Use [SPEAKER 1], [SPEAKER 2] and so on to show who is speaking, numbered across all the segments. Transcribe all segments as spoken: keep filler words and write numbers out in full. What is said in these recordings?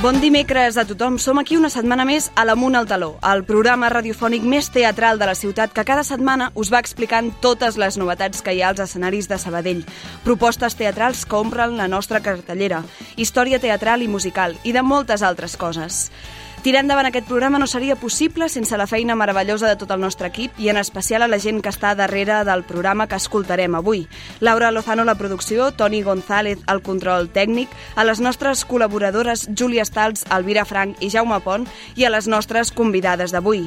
[SPEAKER 1] Bon dimecres a tothom. Som aquí una setmana més a l'Amunt al Taló, el programa radiofònic més teatral de la ciutat que cada setmana us va explicant totes les novetats que hi ha als escenaris de Sabadell. Propostes teatrals que omplen la nostra cartellera, història teatral i musical i de moltes altres coses. Tirar endavant aquest programa no seria possible sense la feina meravellosa de tot el nostre equip i en especial a la gent que està darrere del programa que escoltarem avui. Laura Lozano, la producció, Toni González, el control tècnic, a les nostres col·laboradores Júlia Stals, Elvira Frank i Jaume Pont i a les nostres convidades d'avui.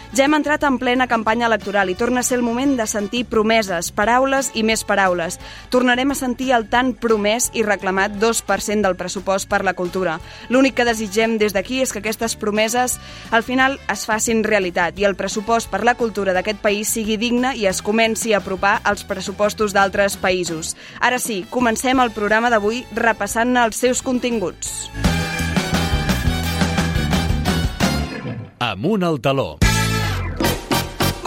[SPEAKER 1] Ja hem entrat en plena campanya electoral i torna a ser el moment de sentir promeses, paraules i més paraules. Tornarem a sentir el tan promès i reclamat dos per cent del pressupost per la cultura. L'únic que desitgem des d'aquí és que aquestes promeses al final es facin realitat i el pressupost per la cultura d'aquest país sigui digne i es comenci a apropar als pressupostos d'altres països. Ara sí, comencem el programa d'avui repassant els seus continguts.
[SPEAKER 2] Amunt al taló.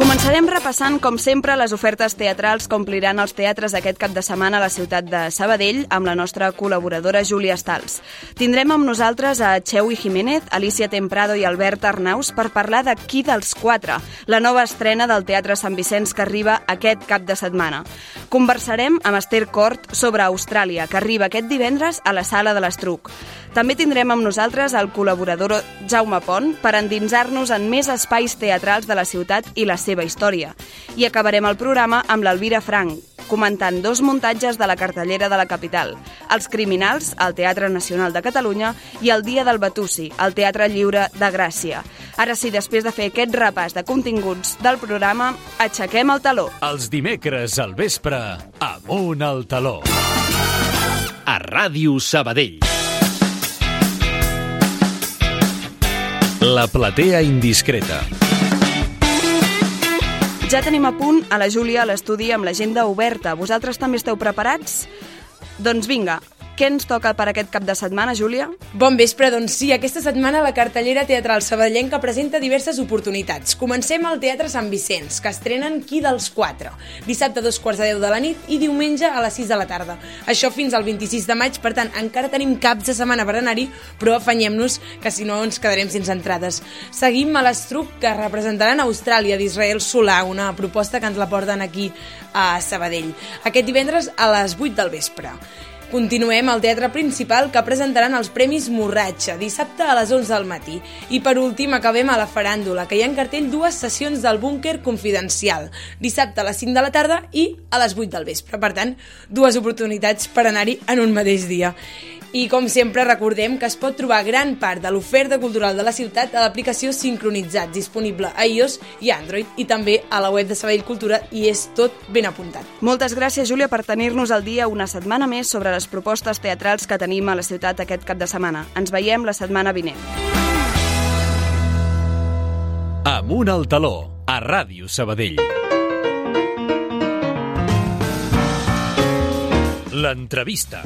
[SPEAKER 1] Començarem repassant, com sempre, les ofertes teatrals que ompliran els teatres aquest cap de setmana a la ciutat de Sabadell amb la nostra col·laboradora Júlia Stals. Tindrem amb nosaltres a Cheui Jiménez, Alicia Temprado i Albert Arnaus per parlar de Qui dels quatre, la nova estrena del Teatre Sant Vicenç que arriba aquest cap de setmana. Conversarem amb Esther Cort sobre Austràlia, que arriba aquest divendres a la Sala de l'Estruc. També tindrem amb nosaltres el col·laborador Jaume Pont per endinsar-nos en més espais teatrals de la ciutat i la seva història. I acabarem el programa amb l'Elvira Frank, comentant dos muntatges de la cartellera de la capital, Els Criminals, al Teatre Nacional de Catalunya, i El Dia del Batusi, al Teatre Lliure de Gràcia. Ara sí, després de fer aquest repàs de continguts del programa, aixequem el taló.
[SPEAKER 2] Els dimecres al vespre, Amunt al taló. A Ràdio Sabadell. La platea indiscreta.
[SPEAKER 1] Ja tenim a punt a la Júlia a l'estudi amb l'agenda oberta. Vosaltres també esteu preparats? Doncs vinga, què ens toca per aquest cap de setmana, Júlia?
[SPEAKER 3] Bon vespre, doncs sí, aquesta setmana la cartellera teatral sabadellenca presenta diverses oportunitats. Comencem al Teatre Sant Vicenç, que estrenen Qui dels quatre, dissabte a dos quarts de deu de la nit i diumenge a les sis de la tarda. Això fins al vint-i-sis de maig, per tant, encara tenim caps de setmana per anar-hi, però afanyem-nos, que si no ens quedarem sense entrades. Seguim a l'Estruc, que representaran Austràlia d'Israel Solà, una proposta que ens la porten aquí a Sabadell. Aquest divendres a les vuit del vespre. Continuem al Teatre Principal, que presentaran els Premis Morratxa, dissabte a les onze del matí. I per últim acabem a la Faràndula, que hi ha en cartell dues sessions del Búnquer Confidencial, dissabte a les cinc de la tarda i a les vuit del vespre. Per tant, dues oportunitats per anar-hi en un mateix dia. I com sempre recordem que es pot trobar gran part de l'oferta cultural de la ciutat a l'aplicació Sincronitzat, disponible a iOS i Android, i també a la web de Sabadell Cultura, i és tot ben apuntat.
[SPEAKER 1] Moltes gràcies, Júlia, per tenir-nos al dia una setmana més sobre les propostes teatrals que tenim a la ciutat aquest cap de setmana. Ens veiem la setmana vinent.
[SPEAKER 2] Amunt al taló, a Ràdio Sabadell. L'entrevista.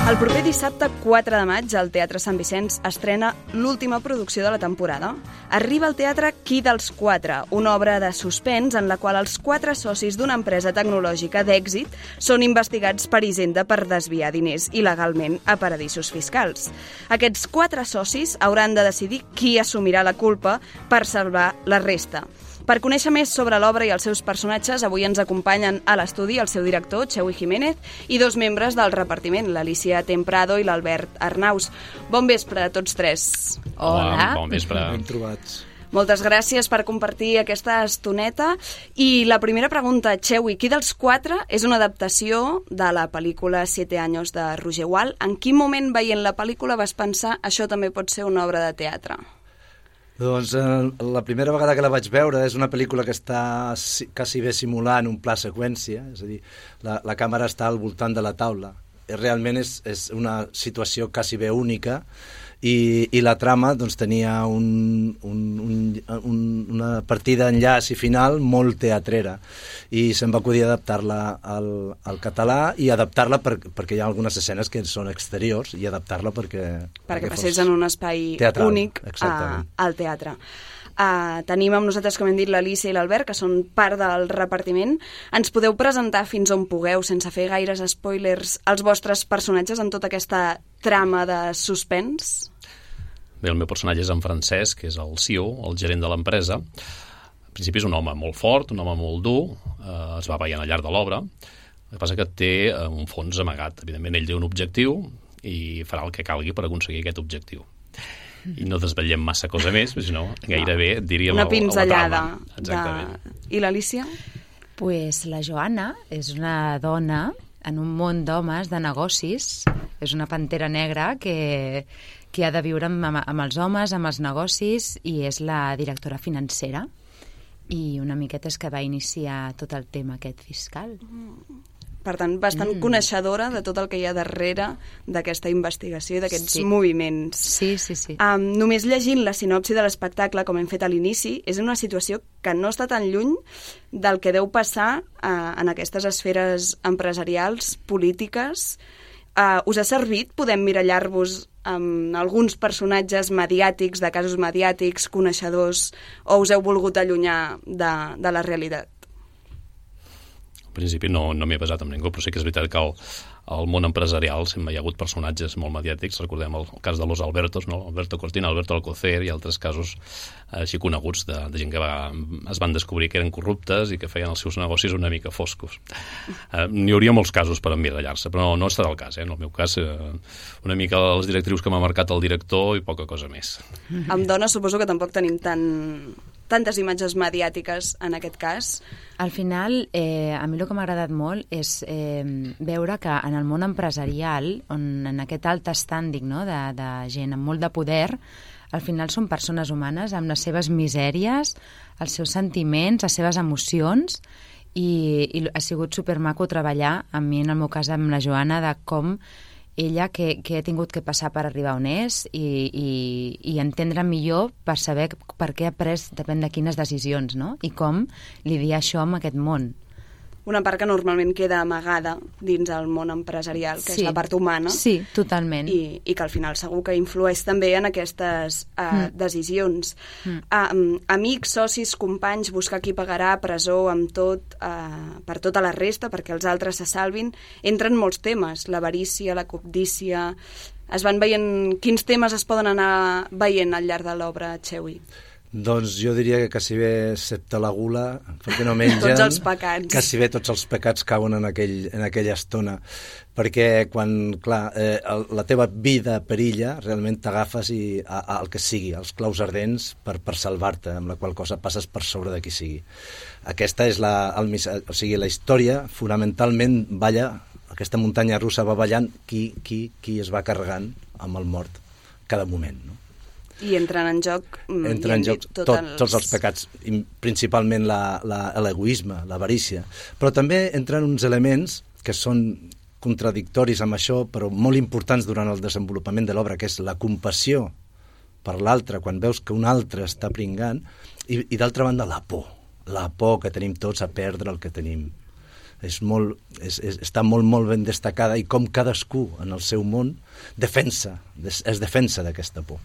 [SPEAKER 1] El proper dissabte quatre de maig al Teatre Sant Vicenç estrena l'última producció de la temporada. Arriba al teatre Qui dels quatre, una obra de suspens en la qual els quatre socis d'una empresa tecnològica d'èxit són investigats per Hisenda per desviar diners il·legalment a paradisos fiscals. Aquests quatre socis hauran de decidir qui assumirà la culpa per salvar la resta. Per conèixer més sobre l'obra i els seus personatges, avui ens acompanyen a l'estudi el seu director, Cheui Jiménez, i dos membres del repartiment, l'Alicia Temprado i l'Albert Arnaus. Bon vespre a tots tres.
[SPEAKER 4] Hola. Bon vespre.
[SPEAKER 5] Ben trobats.
[SPEAKER 1] Moltes gràcies per compartir aquesta estoneta. I la primera pregunta, Cheui, Qui dels quatre és una adaptació de la pel·lícula Siete años de Roger Wall. En quin moment, veient la pel·lícula, vas pensar això també pot ser una obra de teatre?
[SPEAKER 5] Doncs eh, la primera vegada que la vaig veure és una pel·lícula que està quasi bé simulant un pla seqüència, és a dir, la, la càmera està al voltant de la taula. Realment és, és una situació quasi bé única i, i la trama doncs, tenia un, un, un, un, una partida enllaç i final molt teatrera i se'm va acudir adaptar-la al, al català i adaptar-la per, perquè hi ha algunes escenes que són exteriors i adaptar-la perquè...
[SPEAKER 1] Perquè passés en un espai
[SPEAKER 5] teatral,
[SPEAKER 1] únic a, al teatre. Uh, tenim amb nosaltres, com hem dit, l'Alicia i l'Albert, que són part del repartiment. Ens podeu presentar fins on pugueu, sense fer gaires spoilers, els vostres personatges en tota aquesta trama de suspens?
[SPEAKER 4] Bé, el meu personatge és en Francesc, que és el C E O, el gerent de l'empresa. En principi és un home molt fort, un home molt dur, eh, es va veient al llarg de l'obra. El que passa que té un fons amagat. Evidentment, ell té un objectiu i farà el que calgui per aconseguir aquest objectiu. I no desvetllem massa cosa més, perquè si no, gairebé diríem
[SPEAKER 1] una pinzellada.
[SPEAKER 4] De...
[SPEAKER 1] I l'Alicia?
[SPEAKER 6] Pues la Joana és una dona en un món d'homes, de negocis. És una pantera negra que, que ha de viure amb, amb els homes, amb els negocis, i és la directora financera. I una miqueta és que va iniciar tot el tema aquest fiscal.
[SPEAKER 1] Per tant, bastant mm. coneixedora de tot el que hi ha darrere d'aquesta investigació i d'aquests sí. moviments.
[SPEAKER 6] Sí, sí, sí.
[SPEAKER 1] Um, només llegint la sinopsi de l'espectacle, com hem fet a l'inici, és una situació que no està tan lluny del que deu passar uh, en aquestes esferes empresarials, polítiques. Uh, us ha servit? Podem mirallar-vos amb alguns personatges mediàtics, de casos mediàtics, coneixedors, o us heu volgut allunyar de, de la realitat?
[SPEAKER 4] En principi no, no m'he basat en ningú, però sí que és veritat que al, al món empresarial sempre hi ha hagut personatges molt mediàtics. Recordem el, el cas de los Albertos, no? Alberto Cortina, Alberto Alcocer i altres casos així coneguts de, de gent que va, es van descobrir que eren corruptes i que feien els seus negocis una mica foscos. Eh, N'hi hauria molts casos per emmirallar-se, però no, no ha estat el cas. Eh? En el meu cas, eh, una mica les directrius que m'ha marcat el director i poca cosa més.
[SPEAKER 1] Amb dones suposo que tampoc tenim tant... tantes imatges mediàtiques en aquest cas.
[SPEAKER 6] Al final, eh, a mi el que m'ha agradat molt és eh, veure que en el món empresarial, on en aquest alt estànding, no, de, de gent amb molt de poder, al final són persones humanes amb les seves misèries, els seus sentiments, les seves emocions, i, i ha sigut supermaco treballar, a mi en el meu cas amb la Joana, de com ella que, que ha tingut que passar per arribar on és i, i, i entendre millor per saber per què ha pres depèn de quines decisions, no? I com lidiar això amb aquest món.
[SPEAKER 1] Una part que normalment queda amagada dins el món empresarial, que
[SPEAKER 6] sí.
[SPEAKER 1] és la part humana.
[SPEAKER 6] Sí, totalment.
[SPEAKER 1] I, i que al final segur que influeix també en aquestes uh, mm. decisions. Mm. Uh, amics, socis, companys, buscar qui pagarà, presó, amb tot, uh, per tota la resta, perquè els altres se salvin. Entren molts temes, l'avarícia, la cobdícia... Es van veient... Quins temes es poden anar veient al llarg de l'obra, Chewi?
[SPEAKER 5] Doncs jo diria que quasi bé, excepte la gula, perquè no mengen...
[SPEAKER 1] Tots els pecats.
[SPEAKER 5] Quasi bé tots els pecats cauen en, aquell, en aquella estona. Perquè quan, clar, eh, el, la teva vida perilla, realment t'agafes i a, a, el que sigui, els claus ardents per, per salvar-te, amb la qual cosa passes per sobre de qui sigui. Aquesta és la, el, o sigui, la història, fonamentalment, balla, aquesta muntanya russa va ballant qui, qui, qui es va carregant amb el mort cada moment, no?
[SPEAKER 1] I entren en joc,
[SPEAKER 5] entren en joc tot, els... tots els pecats, principalment l'egoisme, l'avarícia, però també entren uns elements que són contradictoris amb això, però molt importants durant el desenvolupament de l'obra, que és la compassió per l'altre, quan veus que un altre està pringant, i, i d'altra banda la por, la por que tenim tots a perdre el que tenim. És molt, és, és, està molt, molt ben destacada, i com cadascú en el seu món defensa, es, es defensa d'aquesta por.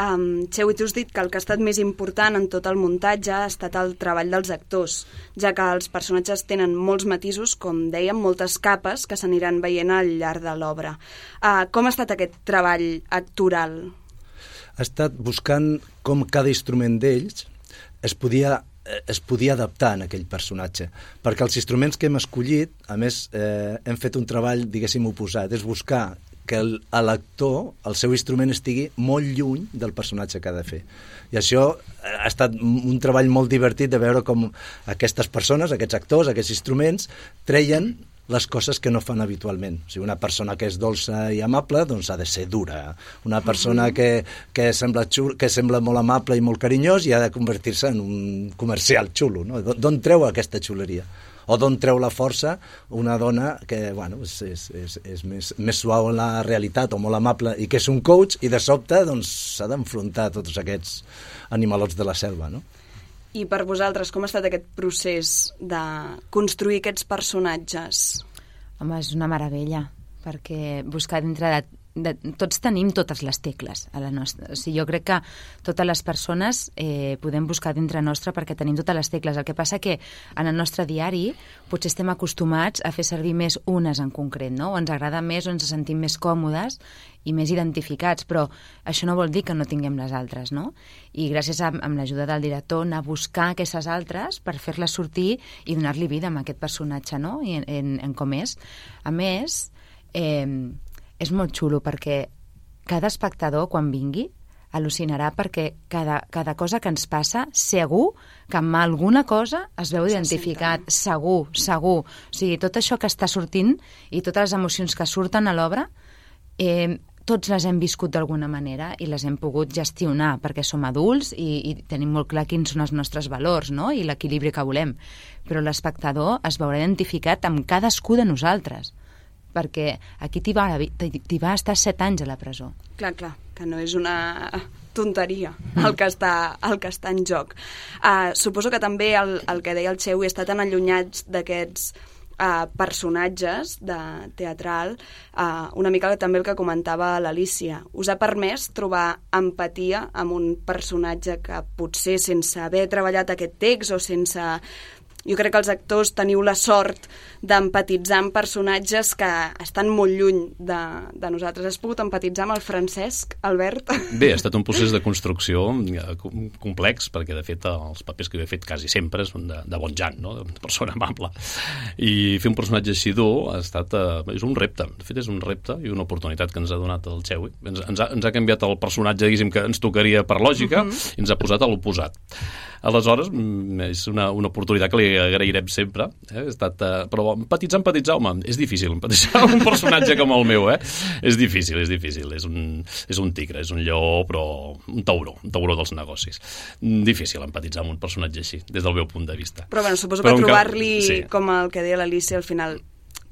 [SPEAKER 1] Um, Chewi, tu has dit que el que ha estat més important en tot el muntatge ha estat el treball dels actors, ja que els personatges tenen molts matisos, com dèiem, moltes capes que s'aniran veient al llarg de l'obra. Uh, com ha estat aquest treball actoral?
[SPEAKER 5] Ha estat buscant com cada instrument d'ells es podia, es podia adaptar en aquell personatge, perquè els instruments que hem escollit, a més, eh, hem fet un treball, diguéssim, oposat, és buscar que l'actor, el seu instrument, estigui molt lluny del personatge que ha de fer. I això ha estat un treball molt divertit de veure com aquestes persones, aquests actors, aquests instruments, treien les coses que no fan habitualment. O sigui, una persona que és dolça i amable, doncs ha de ser dura. Una persona que, que, sembla, xul, que sembla molt amable i molt carinyós i ha de convertir-se en un comercial xulo, no? D'on treu aquesta xuleria? O d'on treu la força una dona que, bueno, és, és, és, és més, més suau en la realitat o molt amable i que és un coach, i de sobte doncs s'ha d'enfrontar a tots aquests animalots de la selva, no?
[SPEAKER 1] I per vosaltres, com ha estat aquest procés de construir aquests personatges?
[SPEAKER 6] Home, és una meravella, perquè buscar dintre de de, tots tenim totes les tecles a la nostra. O sigui, jo crec que totes les persones eh, podem buscar dintre nostre perquè tenim totes les tecles. El que passa que en el nostre diari potser estem acostumats a fer servir més unes en concret, no? O ens agrada més o ens sentim més còmodes i més identificats, però això no vol dir que no tinguem les altres, no? I gràcies a, amb l'ajuda del director, anar a buscar aquestes altres per fer-les sortir i donar-li vida a aquest personatge, no? I en, en, en com és. A més, eh, és molt xulo perquè cada espectador, quan vingui, al·lucinarà perquè cada, cada cosa que ens passa, segur que amb alguna cosa es veu identificat, segur, segur. O sigui, tot això que està sortint i totes les emocions que surten a l'obra, eh, tots les hem viscut d'alguna manera i les hem pogut gestionar perquè som adults i, i tenim molt clar quins són els nostres valors, no? I l'equilibri que volem. Però l'espectador es veurà identificat amb cadascú de nosaltres, perquè aquí t'hi va, t'hi va estar set anys a la presó.
[SPEAKER 1] Clar, clar, que no és una tonteria el que està, el que està en joc. Uh, suposo que també el, el que deia el Xewi està tan allunyats d'aquests uh, personatges de teatral, uh, una mica també el que comentava l'Alícia. Us ha permès trobar empatia amb un personatge que potser sense haver treballat aquest text o sense... Jo crec que els actors teniu la sort d'empatitzar amb personatges que estan molt lluny de, de nosaltres. Has pogut empatitzar amb el Francesc, Albert?
[SPEAKER 4] Bé, ha estat un procés de construcció complex, perquè de fet els papers que he fet quasi sempre són de, de bon jan, no? De persona amable. I fer un personatge així dur ha estat, eh, és un repte. De fet, és un repte i una oportunitat que ens ha donat el Xewi. Ens, ens, ha, ens ha canviat el personatge, diguéssim, que ens tocaria per lògica, uh-huh. i ens ha posat a l'oposat. Aleshores, és una, una oportunitat que li agrairem sempre. Eh? Ha estat, eh, però empatitzar, empatitzar, home, és difícil empatitzar un personatge com el meu, eh? És difícil, és difícil. És un, és un tigre, és un lleó, però un tauró, un tauró dels negocis. Difícil empatitzar amb un personatge així, des del meu punt de vista.
[SPEAKER 1] Però, bueno, suposo però que trobar-li, sí. com el que deia l'Alícia al final,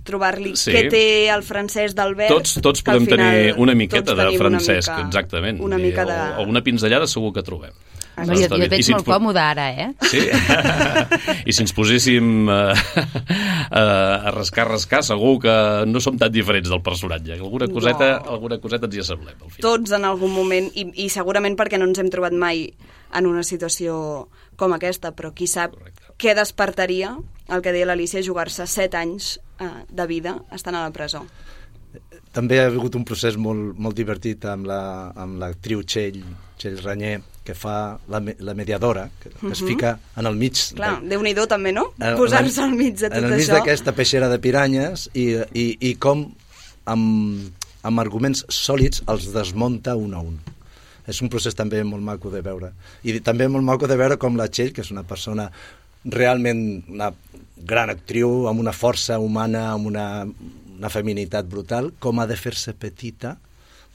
[SPEAKER 1] trobar-li sí. què té el Francesc d'Albert...
[SPEAKER 4] Tots, tots podem tenir una miqueta de Francesc, una mica, exactament.
[SPEAKER 1] Una mica de...
[SPEAKER 4] O, alguna pinzellada segur que trobem.
[SPEAKER 6] No, jo, jo et veig si molt ens... còmode ara, eh?
[SPEAKER 4] Sí? I si ens poséssim uh, uh, a rascar, rascar, segur que no som tan diferents del personatge. Alguna coseta, no. alguna coseta ens hi assemblem. Al final.
[SPEAKER 1] Tots en algun moment, i, i segurament perquè no ens hem trobat mai en una situació com aquesta, però qui sap Correcte. Què despertaria, el que deia l'Alícia, jugar-se set anys uh, de vida estant a la presó.
[SPEAKER 5] També ha hagut un procés molt, molt divertit amb la, amb l'actriu Txell, Txell Ranyer, que fa la, la mediadora, que, que uh-huh. es fica en el mig...
[SPEAKER 1] Clar, de... Déu-n'hi-do també, no? Posar-se al mig de tot això.
[SPEAKER 5] En el mig d'aquesta peixera de piranyes i, i, i com amb, amb arguments sòlids els desmunta un a un. És un procés també molt maco de veure. I també molt maco de veure com la Txell, que és una persona realment una gran actriu, amb una força humana, amb una, una feminitat brutal, com ha de fer-se petita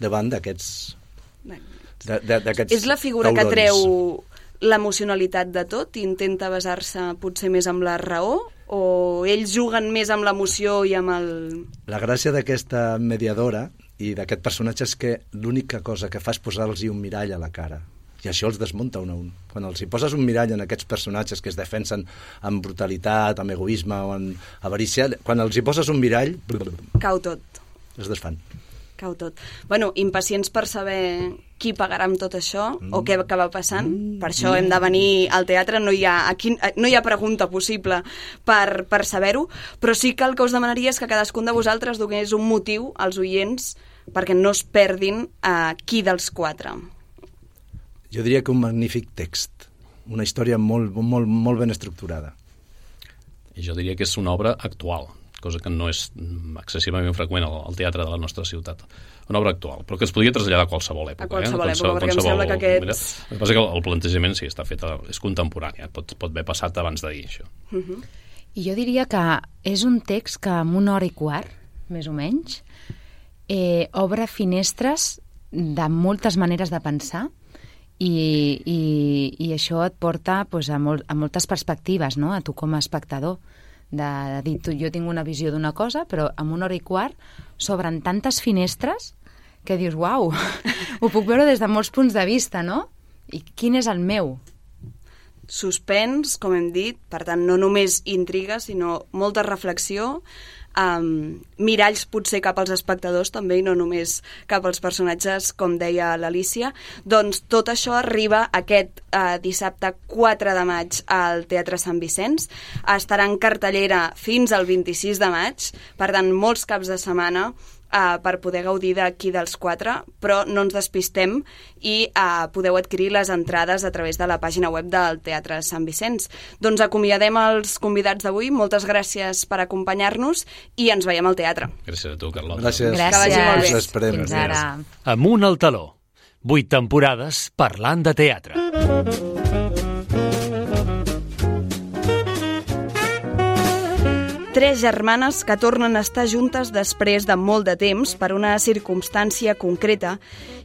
[SPEAKER 5] davant d'aquests... De, de,
[SPEAKER 1] és la figura taurons. Que treu l'emocionalitat de tot i intenta basar-se potser més amb la raó, o ells juguen més amb l'emoció i amb el...
[SPEAKER 5] La gràcia d'aquesta mediadora i d'aquest personatge és que l'única cosa que fa és posar-los un mirall a la cara, i això els desmunta un a un. Quan els hi poses un mirall en aquests personatges que es defensen amb brutalitat, amb egoisme o amb avarícia, quan els hi poses un mirall...
[SPEAKER 1] Cau tot.
[SPEAKER 5] Es desfan.
[SPEAKER 1] Cau tot. Bueno, impacients per saber qui pagarà amb tot això, mm. o què acaba passant. Mm. Per això mm. hem de venir al teatre, no hi ha, aquí, no hi ha pregunta possible per, per saber-ho, però sí que el que us demanaria és que cadascun de vosaltres donés un motiu als oients perquè no es perdin a qui dels quatre.
[SPEAKER 5] Jo diria que un magnífic text, una història molt, molt, molt ben estructurada.
[SPEAKER 4] I jo diria que és una obra actual, cosa que no és excessivament freqüent al, al teatre de la nostra ciutat. Una obra actual, però que es podria traslladar a qualsevol època.
[SPEAKER 1] A qualsevol
[SPEAKER 4] eh?
[SPEAKER 1] època, perquè qualsevol... em sembla que aquests...
[SPEAKER 4] El que passa que el, el plantejament sí, està fet, a, és contemporani, pot, pot haver passat abans d'ahir, això.
[SPEAKER 1] Uh-huh.
[SPEAKER 6] I jo diria que és un text que en una hora i quart, més o menys, eh, obre finestres de moltes maneres de pensar i, i, i això et porta pues, a, molt, a moltes perspectives, no? A tu com a espectador. De, de dir, tu, jo tinc una visió d'una cosa, però en una hora i quart s'obren tantes finestres que dius, uau, ho puc veure des de molts punts de vista, no? I quin és el meu?
[SPEAKER 1] Suspens, com hem dit, per tant, no només intriga, sinó molta reflexió. um, miralls potser cap als espectadors també, i no només cap als personatges, com deia l'Alícia. Doncs tot això arriba aquest uh, dissabte quatre de maig al Teatre Sant Vicenç. Estarà en cartellera fins al vint-i-sis de maig, per tant, molts caps de setmana Uh, per poder gaudir d'aquí dels quatre, però no ens despistem i uh, podeu adquirir les entrades a través de la pàgina web del Teatre Sant Vicenç. Doncs acomiadem els convidats d'avui. Moltes gràcies per acompanyar-nos i ens veiem al teatre.
[SPEAKER 4] Gràcies a tu, Carlota.
[SPEAKER 5] Gràcies.
[SPEAKER 6] Gràcies.
[SPEAKER 1] Que vagi molt bé.
[SPEAKER 5] Us esperem.
[SPEAKER 6] Fins ara.
[SPEAKER 2] Amunt al taló. Vuit temporades parlant de teatre.
[SPEAKER 1] Tres germanes que tornen a estar juntes després de molt de temps per una circumstància concreta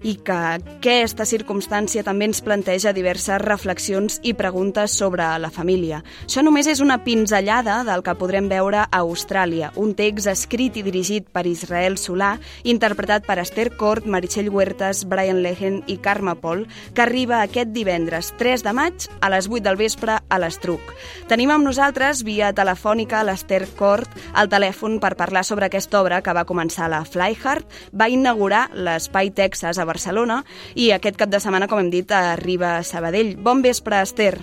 [SPEAKER 1] i que aquesta circumstància també ens planteja diverses reflexions i preguntes sobre la família. Això només és una pinzellada del que podrem veure a Austràlia, un text escrit i dirigit per Israel Solà, interpretat per Esther Cort, Meritxell Huertas, Brian Lehen i Carme Pol, que arriba aquest divendres tres de maig a les vuit del vespre a l'Estruc. Tenim amb nosaltres, via telefònica, l'Esther Cort al telèfon per parlar sobre aquesta obra que va començar a la Flyhard, va inaugurar l'Espai Texas a Barcelona i aquest cap de setmana, com hem dit, arriba a Sabadell. Bon vespre, Esther.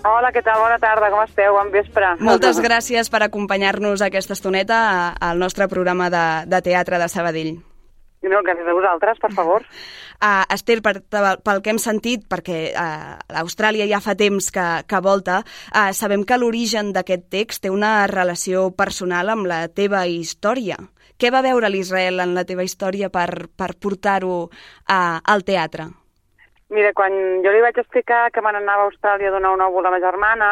[SPEAKER 7] Hola, què tal? Bona tarda, com esteu? Bon vespre.
[SPEAKER 1] Moltes gràcies per acompanyar-nos aquesta estoneta al nostre programa de, de teatre de Sabadell.
[SPEAKER 7] No, gràcies a vosaltres, per favor.
[SPEAKER 1] Uh, Esther, per, pel que hem sentit, perquè uh, l'Austràlia ja fa temps que, que volta, uh, sabem que l'origen d'aquest text té una relació personal amb la teva història. Què va veure l'Israel en la teva història per, per portar-ho uh, al teatre?
[SPEAKER 7] Mira, quan jo li vaig explicar que me n'anava a Austràlia a donar un òvul a ma germana,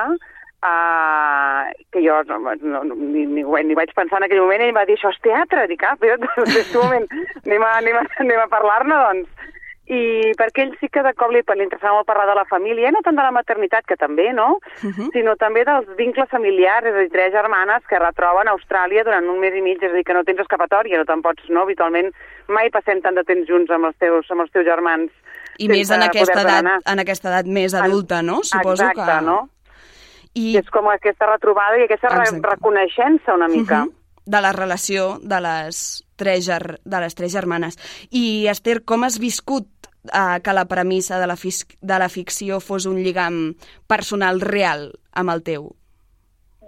[SPEAKER 7] Uh, que jo no, no, ni, ni, ni vaig pensar en aquell moment, ell va dir, això és teatre, dic, ah, però en aquest moment anem a, anem a, anem a parlar-ne, doncs. I perquè ell sí que de cop li, li interessava molt parlar de la família, no tant de la maternitat, que també, no? Uh-huh. Sinó també dels vincles familiars, és a dir, tres germanes que retroben a Austràlia durant un mes i mig, és a dir, que no tens escapatòria, no te'n pots, no? Habitualment mai passem tant de temps junts amb els teus, amb els teus germans.
[SPEAKER 1] I més en aquesta, edat, en aquesta edat més adulta, no? Suposo
[SPEAKER 7] Exacte,
[SPEAKER 1] que...
[SPEAKER 7] no?
[SPEAKER 1] I...
[SPEAKER 7] És com aquesta retrobada i aquesta re reconeixença una mica.
[SPEAKER 1] Uh-huh. De la relació de les, tres ger de les tres germanes. I, Esther, com has viscut uh, que la premissa de la, de la ficció fos un lligam personal real amb el teu?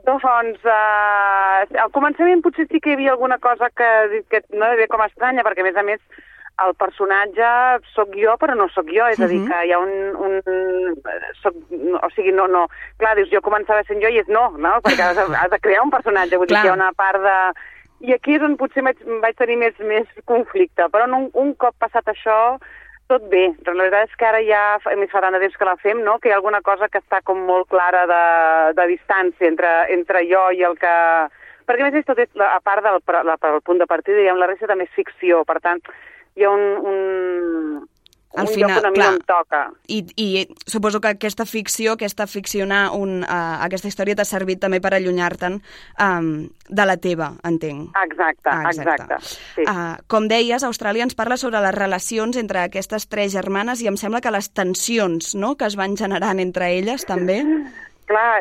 [SPEAKER 7] Doncs, uh, al començament potser sí que hi havia alguna cosa que, que no hi havia com estranya, perquè a més a més el personatge sóc jo, però no sóc jo, és a dir, que hi ha un... un soc, no, o sigui, no, no... Clar, dius, jo començava sent jo i és no, no? Perquè has, has de crear un personatge, vull dir que hi ha una part de... I aquí és on potser vaig, vaig tenir més, més conflicte, però un, un cop passat això, tot bé. La veritat és que ara ja, més fa tant de temps que la fem, no? Que hi ha alguna cosa que està com molt clara de, de distància entre, entre jo i el que... Perquè a més tot és, a part del, la, el punt de partida, diguem, la resta també és ficció, per tant... hi ha un, un, un
[SPEAKER 1] al final,
[SPEAKER 7] lloc on a mi
[SPEAKER 1] clar,
[SPEAKER 7] no em toca.
[SPEAKER 1] I, I suposo que aquesta ficció, aquesta ficcionar un, uh, aquesta història t'ha servit també per allunyar-te'n um, de la teva, entenc.
[SPEAKER 7] Exacte,
[SPEAKER 1] ah, exacte. exacte. Sí. Uh, com deies, Austràlia ens parla sobre les relacions entre aquestes tres germanes i em sembla que les tensions, no?, que es van generant entre elles també...
[SPEAKER 7] Clar,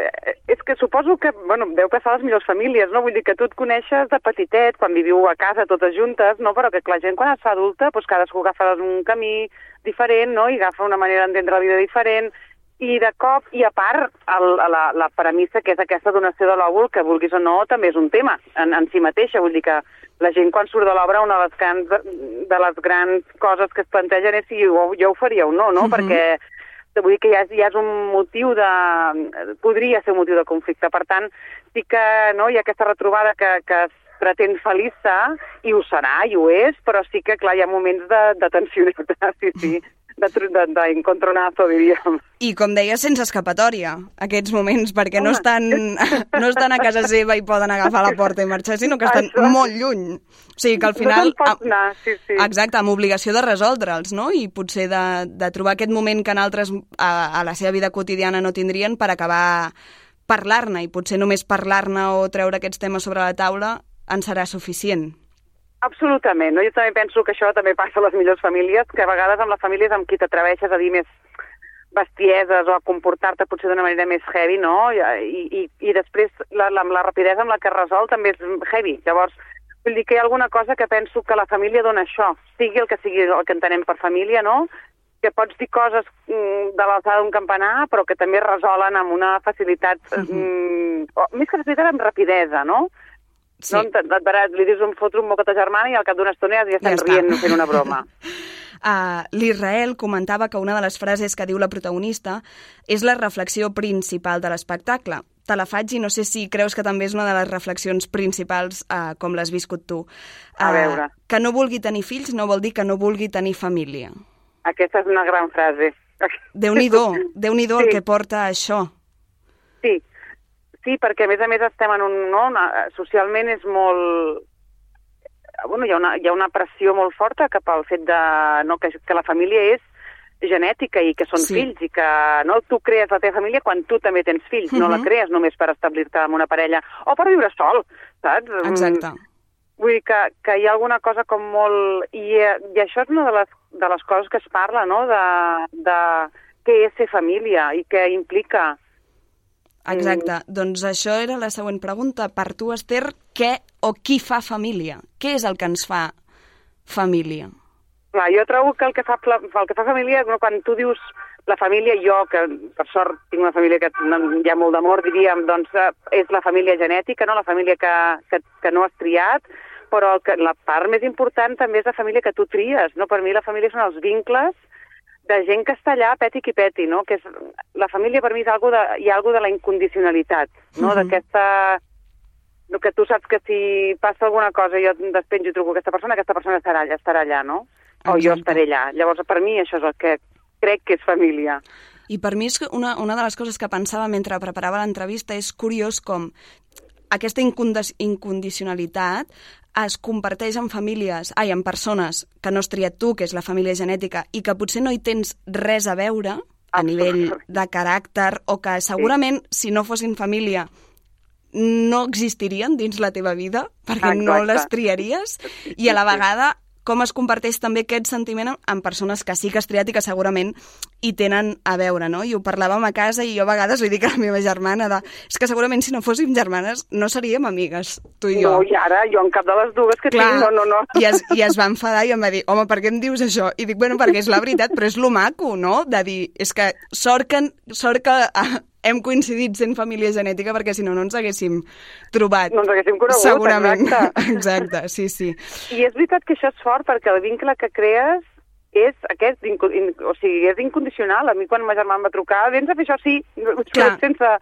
[SPEAKER 7] és que suposo que, bueno, deu passar a les millors famílies, no? Vull dir que tu et coneixes de petitet, quan viviu a casa totes juntes, no? Però que la gent quan es fa adulta, doncs cadascú agafa un camí diferent, no? I agafa una manera d'entendre la vida diferent, i de cop, i a part, el, la, la premissa que és aquesta donació de l'òvul, que vulguis o no, també és un tema en, en si mateixa, vull dir que la gent quan surt de l'obra, una de les, grans, de les grans coses que es plantegen és si jo, jo ho faria o no, no? Uh-huh. Perquè vull dir que ja és, ja és un motiu de... podria ser un motiu de conflicte. Per tant, sí que no, hi ha aquesta retrobada que, que es pretén feliça, i ho serà, i ho és, però sí que, clar, hi ha moments de, de tensionitat, sí, sí, d'encontronazo, diríem.
[SPEAKER 1] I, com deia, sense escapatòria, aquests moments, perquè no estan, no estan a casa seva i poden agafar la porta i marxar, sinó que estan Això. molt lluny. O sigui que al final...
[SPEAKER 7] No te'n pots anar, sí, sí.
[SPEAKER 1] Exacte, amb obligació de resoldre'ls, no? I potser de, de trobar aquest moment que en altres a, a la seva vida quotidiana no tindrien per acabar parlar-ne, i potser només parlar-ne o treure aquests temes sobre la taula en serà suficient.
[SPEAKER 7] Absolutament. No? Jo també penso que això també passa a les millors famílies, que a vegades amb les famílies amb qui t'atreveixes a dir més bestieses o a comportar-te potser d'una manera més heavy, no? I, i, i després la, la, la rapidesa amb la que resol també és heavy. Llavors, vull dir que hi ha alguna cosa que penso que la família dona això, sigui el que sigui el que entenem per família, no? Que pots dir coses mm, de l'alçada d'un campanar, però que també resolen amb una facilitat, mm-hmm. mm, o, més que facilitat, amb rapidesa, no? Sí. No, et, et veràs, li dius un fotre un moc a ta germana i al cap d'una estona ja estan ja rient fent una broma.
[SPEAKER 1] uh, L'Israel comentava que una de les frases que diu la protagonista és la reflexió principal de l'espectacle. Te la faig i no sé si creus que també és una de les reflexions principals uh, com l'has viscut tu. Uh,
[SPEAKER 7] a veure.
[SPEAKER 1] Que no vulgui tenir fills no vol dir que no vulgui tenir família.
[SPEAKER 7] Aquesta és una gran frase.
[SPEAKER 1] Déu-n'hi-do, Déu-n'hi-do sí. El que porta a això.
[SPEAKER 7] Sí. Sí, perquè a més a més estem en un... No, una, socialment és molt... Bueno, hi ha, una, hi ha una pressió molt forta cap al fet de, no, que, que la família és genètica i que són sí. fills i que no, tu crees la teva família quan tu també tens fills, uh-huh. no la crees només per establir-te amb una parella o per viure sol, saps?
[SPEAKER 1] Exacte.
[SPEAKER 7] Vull dir que, que hi ha alguna cosa com molt... I, i això és una de les, de les coses que es parla, no?, de, de què és ser família i què implica.
[SPEAKER 1] Exacte. Mm. Doncs això era la següent pregunta. Per tu, Esther, què o qui fa família? Què és el que ens fa família?
[SPEAKER 7] Clar, jo trobo que el que fa, el que fa família, quan tu dius la família, jo, que per sort tinc una família que hi ha molt d'amor, diríem, doncs és la família genètica, no? La família que, que, que no has triat, però el que, la part més important també és la família que tu tries, no? Per mi la família són els vincles de gent que està allà peti qui peti, no? Que és, la família per mi és algo de, hi ha algo de la incondicionalitat, no? Uh-huh. D'aquesta... No, que tu saps que si passa alguna cosa jo despenjo i truco aquesta persona, aquesta persona estarà allà, estarà allà, no? O Exacte. Jo estaré allà. Llavors, per mi això és el que crec que és família.
[SPEAKER 1] I per mi és una, una de les coses que pensava mentre preparava l'entrevista és curiós com aquesta incondicionalitat es comparteix en famílies, ai, en persones que no has triat tu, que és la família genètica, i que potser no hi tens res a veure a nivell de caràcter, o que segurament, sí. si no fossin família, no existirien dins la teva vida, perquè Exacte. No les triaries, i a la vegada com es comparteix també aquest sentiment amb persones que sí que has triat i que segurament hi tenen a veure, no? I ho parlàvem a casa i jo a vegades li dic a la meva germana de, és que segurament si no fóssim germanes no seríem amigues, tu i jo.
[SPEAKER 7] No, i ara jo en cap de les dues que Clar, tinc, no, no, no.
[SPEAKER 1] I es, I es va enfadar i em va dir, home, per què em dius això? I dic, bueno, perquè és la veritat, però és lo maco, no? De dir, és que sort que, sort que ah, hem coincidit sent família genètica perquè si no no ens haguéssim trobat.
[SPEAKER 7] No ens haguéssim conegut,
[SPEAKER 1] segurament.
[SPEAKER 7] Exacte.
[SPEAKER 1] Exacte, sí, sí.
[SPEAKER 7] I és veritat que això és fort perquè el vincle que crees és aquest, o sigui, és incondicional. A mi quan ma germana em va trucar, vens a fer això, sí, sense,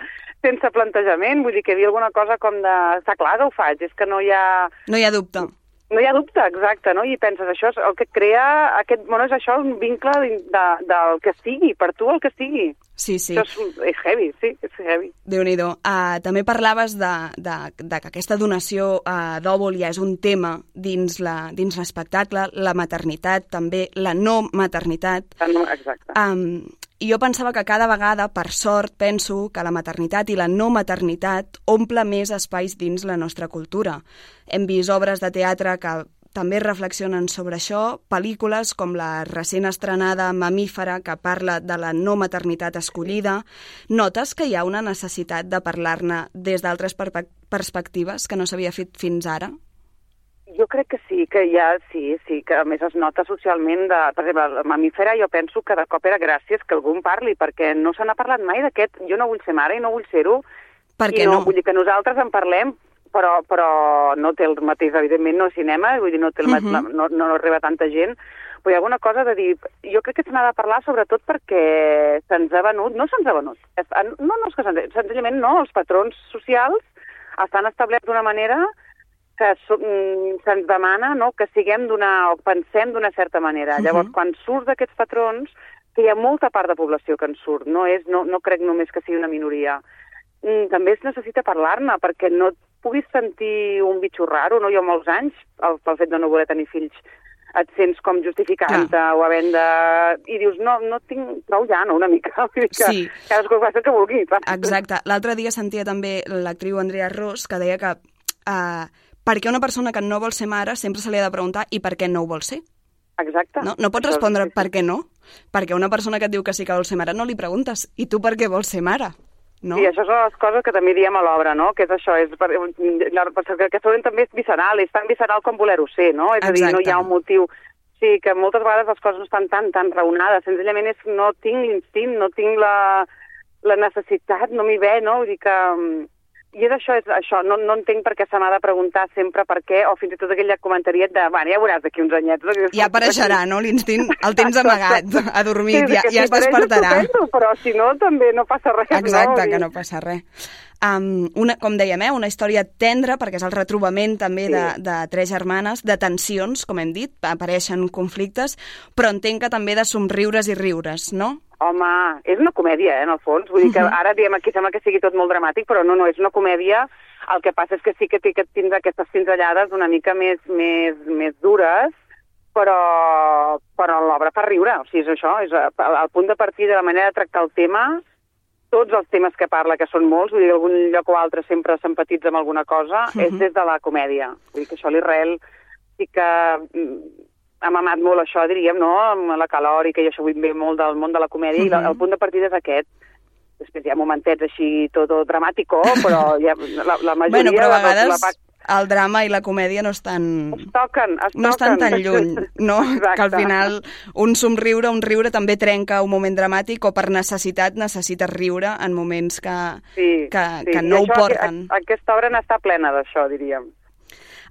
[SPEAKER 7] sense plantejament, vull dir que hi havia alguna cosa com de, està clar que ho faig, és que no hi ha...
[SPEAKER 1] No hi ha dubte.
[SPEAKER 7] No hi ha dubte, exacte, no? I penses, això és el que crea aquest... Bueno, és això, un vincle de, de, del que sigui, per tu el que sigui.
[SPEAKER 1] Sí, sí.
[SPEAKER 7] Això és, és heavy, sí, és heavy.
[SPEAKER 1] Déu-n'hi-do. Uh, també parlaves de, de, de que aquesta donació uh, d'òvul ja és un tema dins la, dins l'espectacle, la maternitat, també la no maternitat.
[SPEAKER 7] No, exacte.
[SPEAKER 1] Um, I jo pensava que cada vegada, per sort, penso que la maternitat i la no maternitat omple més espais dins la nostra cultura. Hem vist obres de teatre que també reflexionen sobre això, pel·lícules com la recent estrenada Mamífera, que parla de la no maternitat escollida. Notes que hi ha una necessitat de parlar-ne des d'altres perspectives que no s'havia fet fins ara?
[SPEAKER 7] Jo crec que sí, que hi ha, sí, sí, que a més es nota socialment, de, per exemple, la Mamífera jo penso que de cop era gràcies que algú en parli, perquè no se n'ha parlat mai d'aquest, jo no vull ser mare i no vull ser-ho,
[SPEAKER 1] per què
[SPEAKER 7] no?
[SPEAKER 1] no?
[SPEAKER 7] Vull dir que nosaltres en parlem, però, però no té el mateix, evidentment, no cinema, vull dir, no, té el uh-huh. no, no, no arriba tanta gent, però hi ha alguna cosa de dir, jo crec que se n'ha de parlar sobretot perquè se'ns ha venut, no se'ns ha venut, no, no és que se'ns, senzillament no, els patrons socials estan establerts d'una manera que se'ns demana, no?, que siguem d'una, o pensem d'una certa manera. Uh-huh. Llavors, quan surt d'aquests patrons, que hi ha molta part de població que en surt, no, és, no, no crec només que sigui una minoria, també es necessita parlar-ne, perquè no et puguis sentir un bitxo raro, no? Jo molts anys, el, pel fet de no voler tenir fills, et sents com justificant-te o havent de... I dius, no, no tinc prou ja, no, una mica. Que sí. Cadascú fa el que vulgui.
[SPEAKER 1] Exacte. L'altre dia sentia també l'actriu Andrea Ros, que deia que uh, perquè una persona que no vol ser mare sempre se li ha de preguntar i per què no ho vol ser.
[SPEAKER 7] Exacte.
[SPEAKER 1] No, no pots respondre per què no. Perquè una persona que et diu que sí que vol ser mare no li preguntes, i tu per què vols ser mare? No?
[SPEAKER 7] Sí, això són les coses que també diem a l'obra, no? Que és això, és per, que aquesta també és visceral, és tan visceral com voler-ho ser, no? És Exacte. a dir, no hi ha un motiu... Sí, que moltes vegades les coses no estan tan, tan raonades, senzillament és no tinc l'instint, no tinc la, la necessitat, no m'hi ve, no? Vull dir que... I és això, és això. No, no entenc per què se m'ha de preguntar sempre per què, o fins i tot aquell comentaret de, bueno, ja veuràs d'aquí uns anyets.
[SPEAKER 1] Ja apareixerà, no? L'instint el tens amagat, adormit, sí, ja, ja es despertarà.
[SPEAKER 7] Estupendo, però si no, també no passa res.
[SPEAKER 1] Exacte,
[SPEAKER 7] no?
[SPEAKER 1] que no passa res. Um, una, com dèiem, eh, una història tendra, perquè és el retrobament també sí. de, de tres germanes, de tensions, com hem dit, apareixen conflictes, però entenc que també de somriures i riures, no?
[SPEAKER 7] Home, és una comèdia, eh, en el fons. Vull dir que ara diem aquí sembla que sigui tot molt dramàtic, però no, no, és una comèdia. El que passa és que sí que té aquestes pinzellades una mica més, més, més dures, però, però l'obra fa riure. O sigui, és això, és el punt de partida, la manera de tractar el tema, tots els temes que parla, que són molts, vull dir, algun lloc o altre sempre s'empatitza amb alguna cosa, uh-huh. és des de la comèdia. Vull dir que això l'Israel sí que ha mamat molt això, diríem, no?, amb la calòrica i això vull ve molt del món de la comèdia, uh-huh. i la, el punt de partida és aquest. Després hi ha momentets així tot dramàtico, però ja, la, la majoria...
[SPEAKER 1] Bueno, però a vegades
[SPEAKER 7] la, la...
[SPEAKER 1] el drama i la comèdia no estan...
[SPEAKER 7] Es toquen, es
[SPEAKER 1] no estan
[SPEAKER 7] toquen.
[SPEAKER 1] tan lluny, no? Exacte. Que al final un somriure, un riure també trenca un moment dramàtic, o per necessitat necessites riure en moments que,
[SPEAKER 7] sí,
[SPEAKER 1] que,
[SPEAKER 7] sí.
[SPEAKER 1] que no
[SPEAKER 7] I
[SPEAKER 1] ho porten.
[SPEAKER 7] Això, aquesta obra n'està plena d'això, diríem.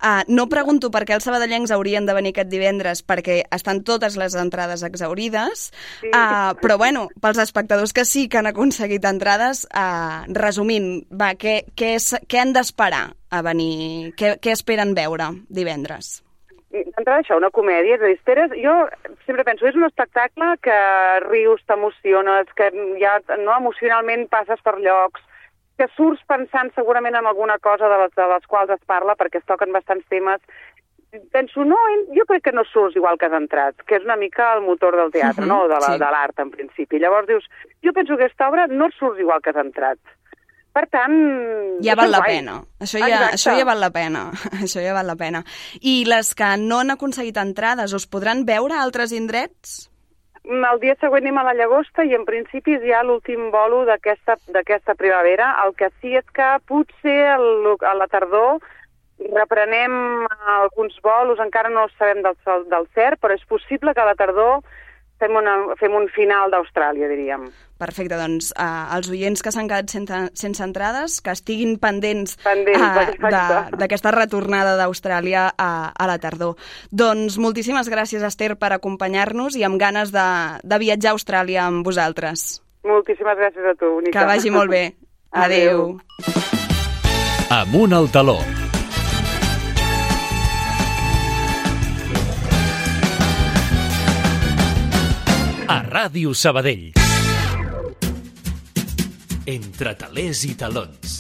[SPEAKER 1] Uh, no pregunto per què els sabadellencs haurien de venir aquest divendres, perquè estan totes les entrades exaurides, sí. uh, però bueno, pels espectadors que sí que han aconseguit entrades, uh, resumint, va, què, què, és, què han d'esperar a venir? Què, què esperen veure divendres?
[SPEAKER 7] D'entrada això, una comèdia, és a dir, esperes, jo sempre penso, és un espectacle que rius, t'emociones, que ja no, emocionalment passes per llocs, que surts pensant segurament en alguna cosa de les, de les quals es parla, perquè es toquen bastants temes. Penso, no, jo crec que no surts igual que has entrat, que és una mica el motor del teatre, uh-huh, no?, de la, sí. de l'art, en principi. Llavors dius, jo penso que aquesta obra no surts igual que has entrat. Per tant...
[SPEAKER 1] Ja val la guai. pena. Això ja, això ja val la pena. Això ja val la pena. I les que no han aconseguit entrades, us podran veure a altres indrets?
[SPEAKER 7] El dia següent anem a la Llagosta i en principi és ja l'últim bolo d'aquesta primavera. El que sí és que potser el, a la tardor reprenem alguns bolos, encara no sabem del, del cert, però és possible que a la tardor fem, una, fem un final d'Austràlia, diríem.
[SPEAKER 1] Perfecte, doncs eh, els oients que s'han quedat sense, sense entrades, que estiguin pendents,
[SPEAKER 7] pendents
[SPEAKER 1] eh, d'aquesta retornada d'Austràlia a, a la tardor. Doncs moltíssimes gràcies, Esther, per acompanyar-nos i amb ganes de, de viatjar a Austràlia amb vosaltres.
[SPEAKER 7] Moltíssimes gràcies a tu, Única.
[SPEAKER 1] Que vagi molt bé. Adéu.
[SPEAKER 2] Amunt al taló. A Ràdio Sabadell. Entre talers i talons.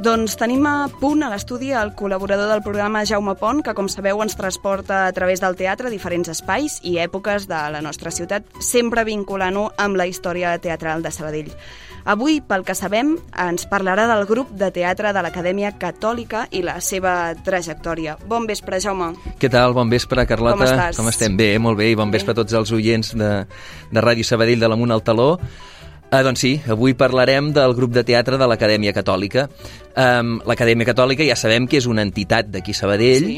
[SPEAKER 1] Doncs tenim a punt a l'estudi el col·laborador del programa, Jaume Pont, que, com sabeu, ens transporta a través del teatre a diferents espais i èpoques de la nostra ciutat, sempre vinculant-ho amb la història teatral de Sabadell. Avui, pel que sabem, ens parlarà del grup de teatre de l'Acadèmia Catòlica i la seva trajectòria. Bon vespre, Jaume.
[SPEAKER 8] Què tal? Bon vespre, Carlota.
[SPEAKER 1] Com estàs?
[SPEAKER 8] Com estem? Bé, molt bé, i bon bé. vespre a tots els oients de, de Ràdio Sabadell de l'Amunt al Taló. Ah, doncs sí, avui parlarem del grup de teatre de l'Acadèmia Catòlica. Um, L'Acadèmia Catòlica ja sabem que és una entitat d'aquí Sabadell, sí.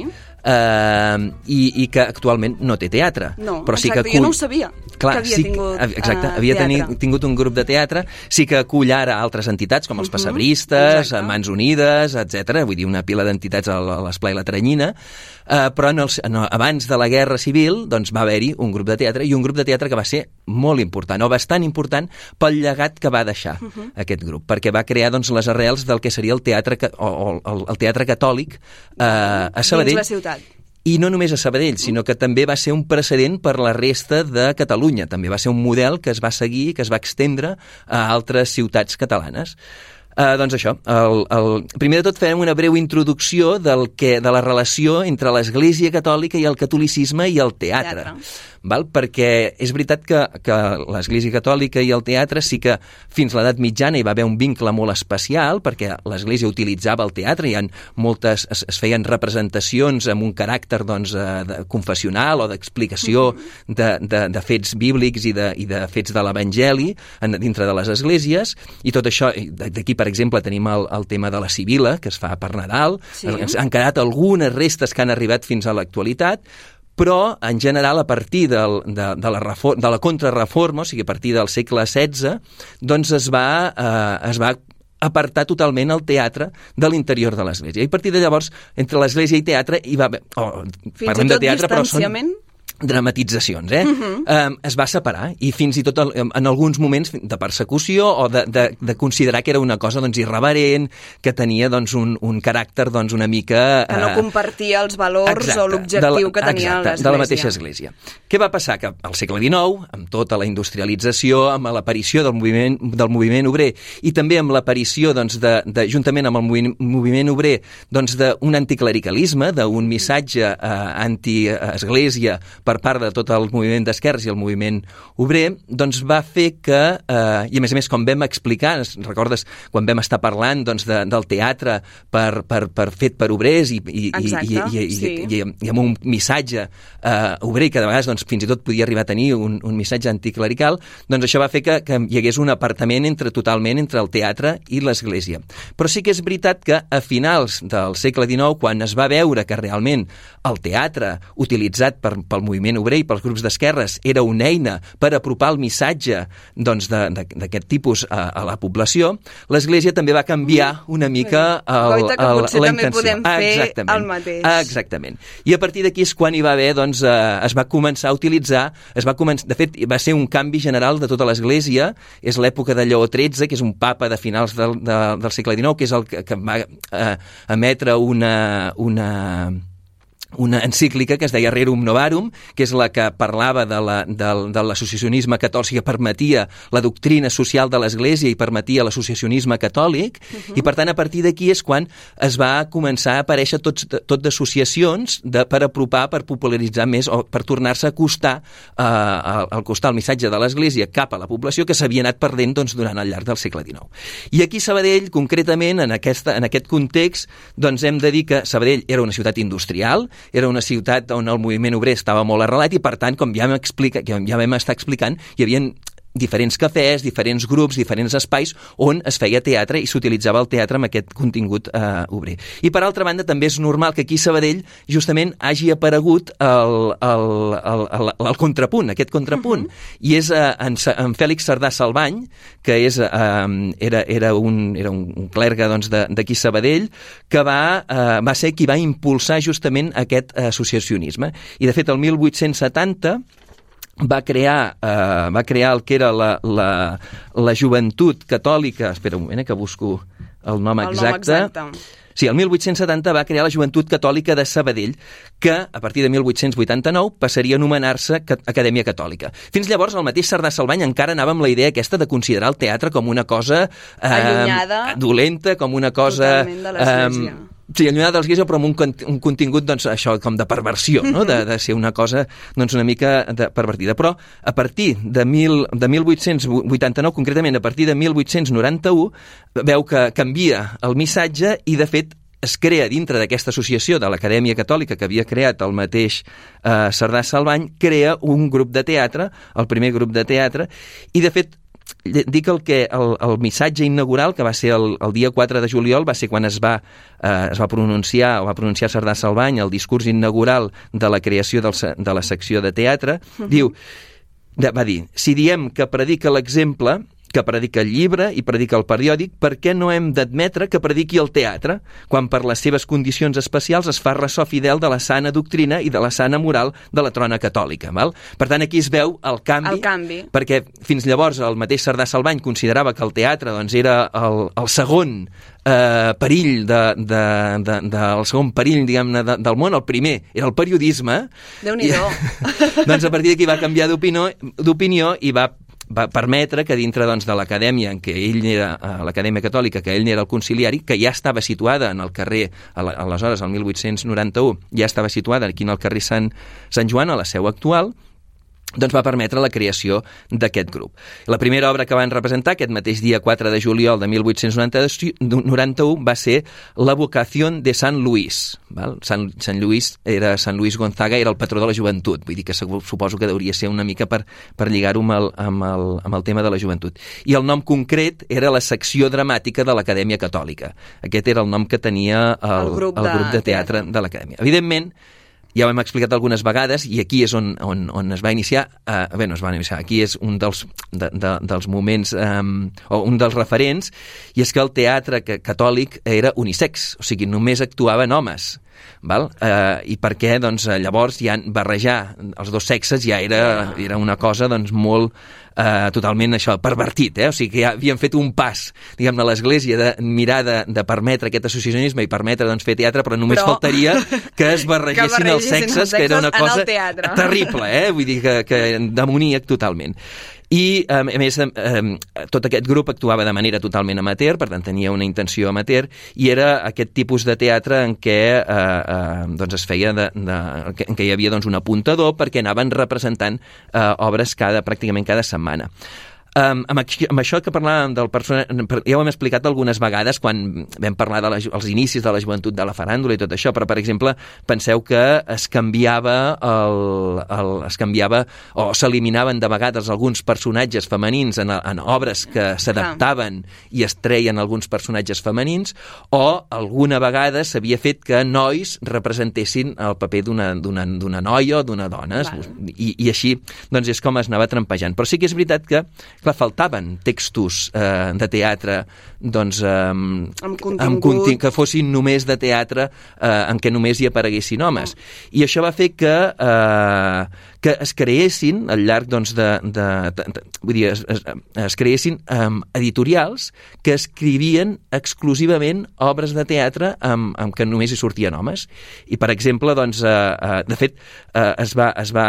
[SPEAKER 8] uh, i, i que actualment no té teatre.
[SPEAKER 1] No,
[SPEAKER 8] però sí
[SPEAKER 1] exacte,
[SPEAKER 8] que acull...
[SPEAKER 1] jo no ho sabia. Clar, que havia
[SPEAKER 8] sí,
[SPEAKER 1] tingut
[SPEAKER 8] exacte,
[SPEAKER 1] uh,
[SPEAKER 8] havia
[SPEAKER 1] teatre.
[SPEAKER 8] Teni, tingut un grup de teatre, sí que acull ara altres entitats, com els uh-huh, Pessebristes, exacte. Mans Unides, etcètera. Vull dir, una pila d'entitats a l'Esplai La Teranyina, uh, però en els, no, abans de la Guerra Civil doncs, va haver-hi un grup de teatre, i un grup de teatre que va ser molt important, o bastant important, pel llegat que va deixar uh-huh. aquest grup, perquè va crear doncs, les arrels del que seria el teatre, o, o el, el teatre catòlic uh, a Sabadell.
[SPEAKER 1] Dins la ciutat.
[SPEAKER 8] I no només a Sabadell, sinó que també va ser un precedent per la resta de Catalunya. També va ser un model que es va seguir, que es va extendre a altres ciutats catalanes. Uh, doncs això, el, el, primer de tot farem una breu introducció del que, de la relació entre l'Església Catòlica i el catolicisme i el teatre. teatre. Val? Perquè és veritat que, que l'Església Catòlica i el teatre sí que fins a l'edat mitjana hi va haver un vincle molt especial, perquè l'Església utilitzava el teatre, hi ha moltes, es, es feien representacions amb un caràcter doncs, de, confessional o d'explicació mm-hmm. de, de, de fets bíblics i de, i de fets de l'Evangeli dintre de les esglésies, i tot això, d'aquí per exemple tenim el, el tema de la Sibila, que es fa per Nadal, sí. Han quedat algunes restes que han arribat fins a l'actualitat, però en general a partir del, de, de, la reforma, de la contrarreforma, o sigui a partir del segle setze, doncs es va, eh, es va apartar totalment el teatre de l'interior de l'Església. I a partir de llavors, entre l'Església i teatre hi va haver... Oh,
[SPEAKER 1] fins i tot de teatre, distanciament?
[SPEAKER 8] Però són dramatitzacions, eh? Uh-huh. Um, es va separar i fins i tot en alguns moments de persecució o de, de, de considerar que era una cosa doncs, irreverent, que tenia doncs, un, un caràcter doncs, una mica...
[SPEAKER 1] Que no compartia els valors exacte, o l'objectiu que tenia
[SPEAKER 8] exacte,
[SPEAKER 1] l'Església.
[SPEAKER 8] De la mateixa Església. Què va passar? Que al segle dinou, amb tota la industrialització, amb l'aparició del moviment, del moviment obrer i també amb l'aparició, doncs, de, de, juntament amb el moviment, moviment obrer, doncs, d'un anticlericalisme, d'un missatge eh, anti-església per part de tot el moviment d'esquerres i el moviment obrer, doncs va fer que, eh, i a més a més, com vam explicar, recordes quan vam estar parlant doncs, de, del teatre per, per, per fet per obrers i, i,
[SPEAKER 1] Exacte,
[SPEAKER 8] i, i,
[SPEAKER 1] sí.
[SPEAKER 8] i, i, i amb un missatge eh, obrer que de vegades doncs, fins i tot podia arribar a tenir un, un missatge anticlerical, doncs això va fer que, que hi hagués un apartament entre, totalment entre el teatre i l'Església. Però sí que és veritat que a finals del segle dinou, quan es va veure que realment el teatre utilitzat per, pel moviment obrer i pels grups d'esquerres era una eina per apropar el missatge doncs, d'aquest tipus a, a la població, l'Església també va canviar una mica el,
[SPEAKER 1] Goita, que
[SPEAKER 8] el,
[SPEAKER 1] potser
[SPEAKER 8] la
[SPEAKER 1] també
[SPEAKER 8] intenció.
[SPEAKER 1] podem fer
[SPEAKER 8] Exactament.
[SPEAKER 1] el mateix.
[SPEAKER 8] Exactament. I a partir d'aquí és quan hi va haver, doncs, eh, es va començar a utilitzar, es va començar, de fet, va ser un canvi general de tota l'Església, és l'època de Lleó tretze, que és un papa de finals del, de, del segle dinou, que és el que, que va eh, emetre una... una una encíclica que es deia Rerum Novarum, que és la que parlava de la, de, de l'associacionisme catòlic, que permetia la doctrina social de l'Església i permetia l'associacionisme catòlic, uh-huh. i per tant a partir d'aquí és quan es va començar a aparèixer tots, tot d'associacions de, per apropar, per popularitzar més o per tornar-se a acostar eh, al, al costar el missatge de l'Església cap a la població que s'havia anat perdent doncs, durant el llarg del segle dinou. I aquí Sabadell, concretament, en, aquesta, en aquest context, doncs hem de dir que Sabadell era una ciutat industrial, era una ciutat on el moviment obrer estava molt arrelat i, per tant, com ja vam, explica, ja vam estar explicant, hi havia diferents cafès, diferents grups, diferents espais on es feia teatre i s'utilitzava el teatre amb aquest contingut eh, obrer. I per altra banda també és normal que aquí a Sabadell justament hagi aparegut el, el, el, el, el contrapunt, aquest contrapunt. Uh-huh. I és eh, en, en Fèlix Cerdà Salvany, que és, eh, era, era, un, era un clergue doncs, d'aquí a Sabadell, que va, eh, va ser qui va impulsar justament aquest associacionisme. I de fet el mil vuit-cents setanta va crear, eh, va crear el que era la, la, la joventut catòlica, espera un moment eh, que busco el nom
[SPEAKER 1] el
[SPEAKER 8] exacte,
[SPEAKER 1] nom exacte.
[SPEAKER 8] Sí, el mil vuit-cents setanta va crear la Joventut Catòlica de Sabadell, que a partir de mil vuit-cents vuitanta-nou passaria a anomenar-se Acadèmia Catòlica. Fins llavors el mateix Cerdà Salvany encara anava amb la idea aquesta de considerar el teatre com una cosa eh,
[SPEAKER 1] allunyada,
[SPEAKER 8] dolenta, com una cosa
[SPEAKER 1] totalment de l'Església.
[SPEAKER 8] Eh, Sí, allunyada de l'Església, però amb un, un contingut, doncs, això, com de perversió, no? de, de ser una cosa, doncs, una mica de pervertida. Però a partir de, mil, de mil vuit-cents vuitanta-nou, concretament a partir de mil vuit-cents noranta-u, veu que canvia el missatge i, de fet, es crea dintre d'aquesta associació de l'Acadèmia Catòlica que havia creat el mateix eh, Cerdà Salvany, crea un grup de teatre, el primer grup de teatre, i, de fet, dic el que el, el missatge inaugural, que va ser el, el dia quatre de juliol, va ser quan es va, eh, es va pronunciar o va pronunciar Cerdà Salvany el discurs inaugural de la creació del, de la secció de teatre. Uh-huh. Diu, va dir, si diem que predica l'exemple, que predica el llibre i predica el periòdic, per què no hem d'admetre que prediqui el teatre, quan per les seves condicions especials es fa ressò fidel de la sana doctrina i de la sana moral de la trona catòlica. Val? Per tant, aquí es veu el canvi,
[SPEAKER 1] el canvi,
[SPEAKER 8] perquè fins llavors el mateix Cerdà Salvany considerava que el teatre doncs, era el, el segon eh, perill de, de, de, de, el segon perill, diguem-ne, de, del món. El primer era el periodisme.
[SPEAKER 1] Déu-n'hi-do.
[SPEAKER 8] I, doncs a partir d'aquí va canviar d'opinió i va va permetre que dintre doncs, de l'acadèmia en què ell era, l'acadèmia catòlica, que ell era el conciliari, que ja estava situada en el carrer, aleshores, el mil vuit-cents noranta-u, ja estava situada aquí en el carrer Sant, Sant Joan, a la seu actual, doncs va permetre la creació d'aquest grup. La primera obra que van representar aquest mateix dia quatre de juliol de mil vuit-cents noranta-u va ser La vocación de Sant Luís. Val? Sant, Sant Luís era Sant Luís Gonzaga, era el patró de la joventut, vull dir que suposo que hauria ser una mica per, per lligar-ho amb, el, amb, el, amb el tema de la joventut. I el nom concret era la secció dramàtica de l'Acadèmia Catòlica. Aquest era el nom que tenia el, el, grup, el grup de, de teatre de l'Acadèmia. Evidentment, ja ho hem explicat algunes vegades, i aquí és on, on, on es va iniciar, eh, bé, no es va iniciar, aquí és un dels, de, de, dels moments, eh, o un dels referents, i és que el teatre catòlic era unisex, o sigui, només actuaven homes. Val? Eh, I per què? Doncs, llavors ja barrejar els dos sexes ja era, era una cosa doncs, molt eh, totalment això, pervertit, eh? O sigui que ja havien fet un pas, diguem-ne, a l'Església de mirar de, de permetre aquest associacionisme i permetre doncs, fer teatre, però només però... faltaria que es barregessin els sexes, els sexes, que era una cosa terrible, eh? Vull dir que, que demoníac totalment. I, a més, tot aquest grup actuava de manera totalment amateur, per tant, tenia una intenció amateur, i era aquest tipus de teatre en què eh, eh, doncs es feia de, de, en què hi havia doncs, un apuntador perquè anaven representant eh, obres cada, pràcticament cada setmana. Um, amb, amb això que parlàvem del personatge, ja ho hem explicat algunes vegades quan vam parlar dels de inicis de la joventut de la faràndula i tot això, però per exemple penseu que es canviava el, el, es canviava o s'eliminaven de vegades alguns personatges femenins en, en obres que s'adaptaven i es treien alguns personatges femenins, o alguna vegada s'havia fet que nois representessin el paper d'una noia o d'una dona, i, i així doncs és com es anava trampejant. Però sí que és veritat que clar, faltaven textos eh, de teatre doncs, eh,
[SPEAKER 1] amb contingut,
[SPEAKER 8] amb conti que fossin només de teatre eh, en què només hi apareguessin homes. Oh. I això va fer que, eh, que es creessin al llarg doncs, de, de, de, de... Vull dir, es, es, es creessin eh, editorials que escrivien exclusivament obres de teatre amb, amb què només hi sortien homes. I, per exemple, doncs, eh, eh, de fet, eh, es, va, es, va,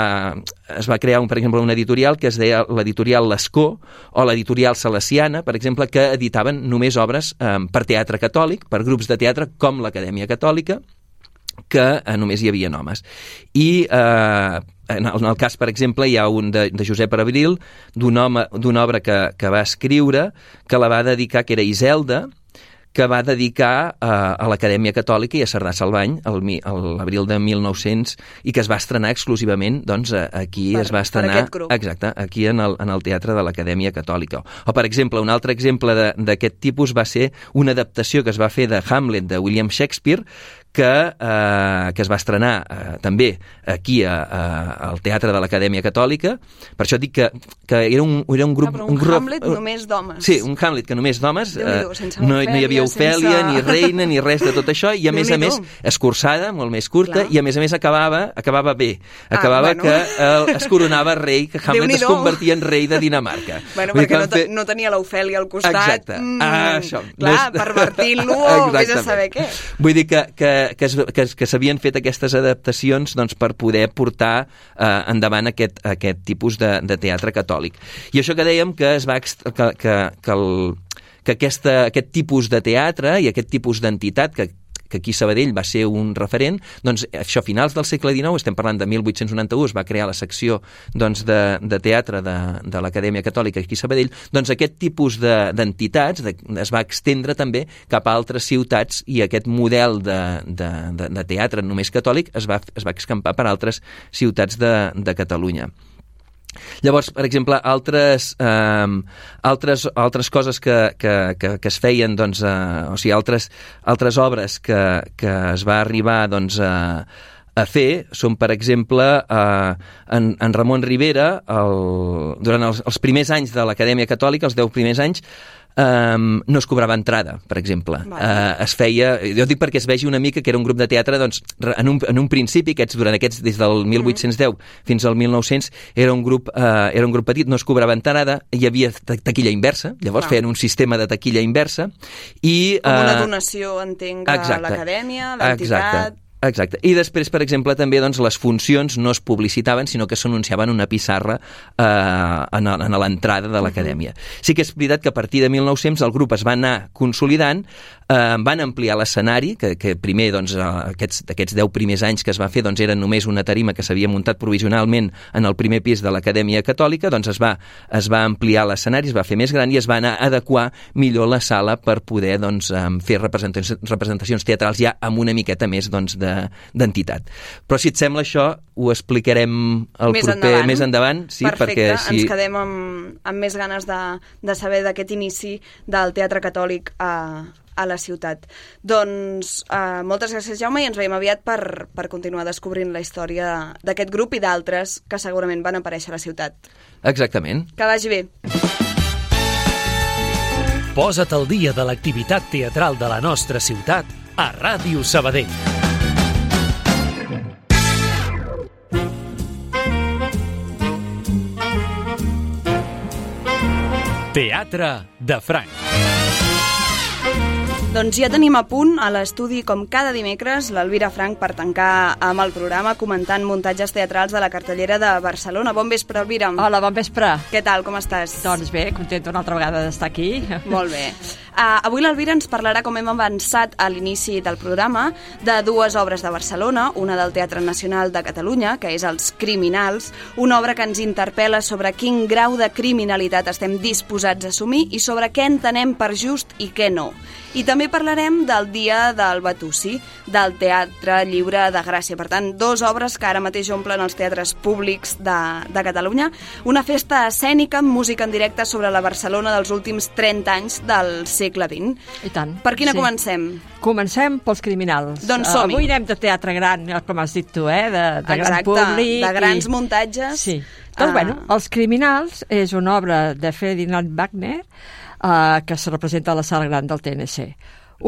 [SPEAKER 8] es va crear, un, per exemple, una editorial que es deia l'editorial L'Escó, o l'editorial Salesiana, per exemple, que editaven només obres eh, per teatre catòlic, per grups de teatre com l'Acadèmia Catòlica, que eh, només hi havia homes. I eh, en, el, en el cas, per exemple, hi ha un de, de Josep Abril, d'una obra que, que va escriure, que la va dedicar, que era Iselda, que va dedicar a, a l'Acadèmia Catòlica i a Cerdà Salvany l'abril de mil nou-cents i que es va estrenar exclusivament doncs, aquí per, es va estrenar exacte, aquí en el, en el Teatre de l'Acadèmia Catòlica. O, per exemple, un altre exemple d'aquest tipus va ser una adaptació que es va fer de Hamlet de William Shakespeare, que, eh, que es va estrenar eh, també aquí a, a, al Teatre de l'Acadèmia Catòlica. Per això dic que, que era, un, era un grup...
[SPEAKER 1] Ah, però un, un grup, Hamlet uh, només d'homes.
[SPEAKER 8] Sí, un Hamlet que només d'homes. Eh, no, no hi havia Ofèlia, sense... ni reina, ni res de tot això, i a més a més escurçada, molt més curta, clar. I a més a més acabava, acabava bé. Acabava ah, bueno. que eh, es coronava rei, que Hamlet es convertia en rei de Dinamarca.
[SPEAKER 1] Bueno, perquè no, fer... no tenia l'Ofèlia al costat.
[SPEAKER 8] Exacte. Mm, ah, això.
[SPEAKER 1] Clar, no és... pervertint-lo o vés a saber què.
[SPEAKER 8] Vull dir que, que que, es, que, que s'havien fet aquestes adaptacions doncs, per poder portar eh, endavant aquest, aquest tipus de, de teatre catòlic. I això que dèiem que es va que, que, que, el, que aquesta, aquest tipus de teatre i aquest tipus d'entitat que que aquí a Sabadell va ser un referent, doncs això, a finals del segle dinou, estem parlant de mil vuit-cents noranta-u, es va crear la secció doncs, de, de teatre de, de l'Acadèmia Catòlica aquí a Sabadell, doncs aquest tipus d'entitats de, de, es va extendre també cap a altres ciutats i aquest model de, de, de, de teatre només catòlic es va, es va escampar per altres ciutats de, de Catalunya. Llavors, per exemple, altres, eh, altres, altres coses que, que, que, que es feien, doncs, eh, o sigui, altres, altres obres que, que es va arribar doncs, a, a fer són, per exemple, eh, en, en Ramon Rivera, el, durant els, els primers anys de l'Acadèmia Catòlica, els deu primers anys, Um, no es cobrava entrada, per exemple. Vale. Uh, es feia, jo dic perquè es vegi una mica que era un grup de teatre, doncs, en un, en un principi, aquests, durant aquests, des del mil vuit-cents deu fins al mil nou-cents, era un grup, uh, era un grup petit, no es cobrava entrada, hi havia taquilla inversa, llavors ah. feien un sistema de taquilla inversa, i...
[SPEAKER 1] Com una donació, entenc, a l'acadèmia, l'entitat...
[SPEAKER 8] Exacte. I després, per exemple, també doncs, les funcions no es publicitaven, sinó que s'anunciaven una pissarra eh, en, en l'entrada de l'acadèmia. Sí que és veritat que a partir de mil nou-cents el grup es va anar consolidant, eh, van ampliar l'escenari, que, que primer, doncs, aquests, aquests deu primers anys que es va fer, doncs, eren només una tarima que s'havia muntat provisionalment en el primer pis de l'Acadèmia Catòlica, doncs es va, es va ampliar l'escenari, es va fer més gran i es va anar a adequar millor la sala per poder doncs, fer representacions, representacions teatrals ja amb una miqueta més doncs, d'entitat. Però si et sembla això, ho explicarem el
[SPEAKER 1] més
[SPEAKER 8] proper
[SPEAKER 1] endavant.
[SPEAKER 8] més endavant. Sí,
[SPEAKER 1] Perfecte,
[SPEAKER 8] perquè, si...
[SPEAKER 1] ens quedem amb, amb més ganes de, de saber d'aquest inici del Teatre Catòlic a, a la ciutat. Doncs eh, moltes gràcies, Jaume, i ens veiem aviat per, per continuar descobrint la història d'aquest grup i d'altres que segurament van aparèixer a la ciutat.
[SPEAKER 8] Exactament.
[SPEAKER 1] Que vagi bé.
[SPEAKER 2] Posa't al dia de l'activitat teatral de la nostra ciutat a Ràdio Sabadell. Teatre de Franc.
[SPEAKER 1] Doncs ja tenim a punt a l'estudi, com cada dimecres, l'Elvira Frank per tancar amb el programa comentant muntatges teatrals de la cartellera de Barcelona. Bon vespre, Elvira.
[SPEAKER 9] Hola, bon vespre.
[SPEAKER 1] Què tal, com estàs?
[SPEAKER 9] Doncs bé, contenta una altra vegada d'estar aquí.
[SPEAKER 1] Molt bé. Uh, avui l'Elvira ens parlarà, com hem avançat a l'inici del programa, de dues obres de Barcelona, una del Teatre Nacional de Catalunya, que és Els Criminals, una obra que ens interpel·la sobre quin grau de criminalitat estem disposats a assumir i sobre què entenem per just i què no. I també parlarem del Dia del Batusi, del Teatre Lliure de Gràcia. Per tant, dues obres que ara mateix omplen els teatres públics de, de Catalunya. Una festa escènica amb música en directe sobre la Barcelona dels últims trenta anys del segle vint.
[SPEAKER 9] I tant.
[SPEAKER 1] Per quina
[SPEAKER 9] sí.
[SPEAKER 1] comencem?
[SPEAKER 9] Comencem pels Criminals.
[SPEAKER 1] Doncs som-hi.
[SPEAKER 9] Uh, avui anem de teatre gran, com has dit tu, eh? de, de
[SPEAKER 1] Exacte,
[SPEAKER 9] gran públic.
[SPEAKER 1] de grans
[SPEAKER 9] i...
[SPEAKER 1] muntatges.
[SPEAKER 9] Sí. Doncs, uh... bueno, Els Criminals és una obra de Ferdinand Wagner uh, que se representa a la sala gran del T N C.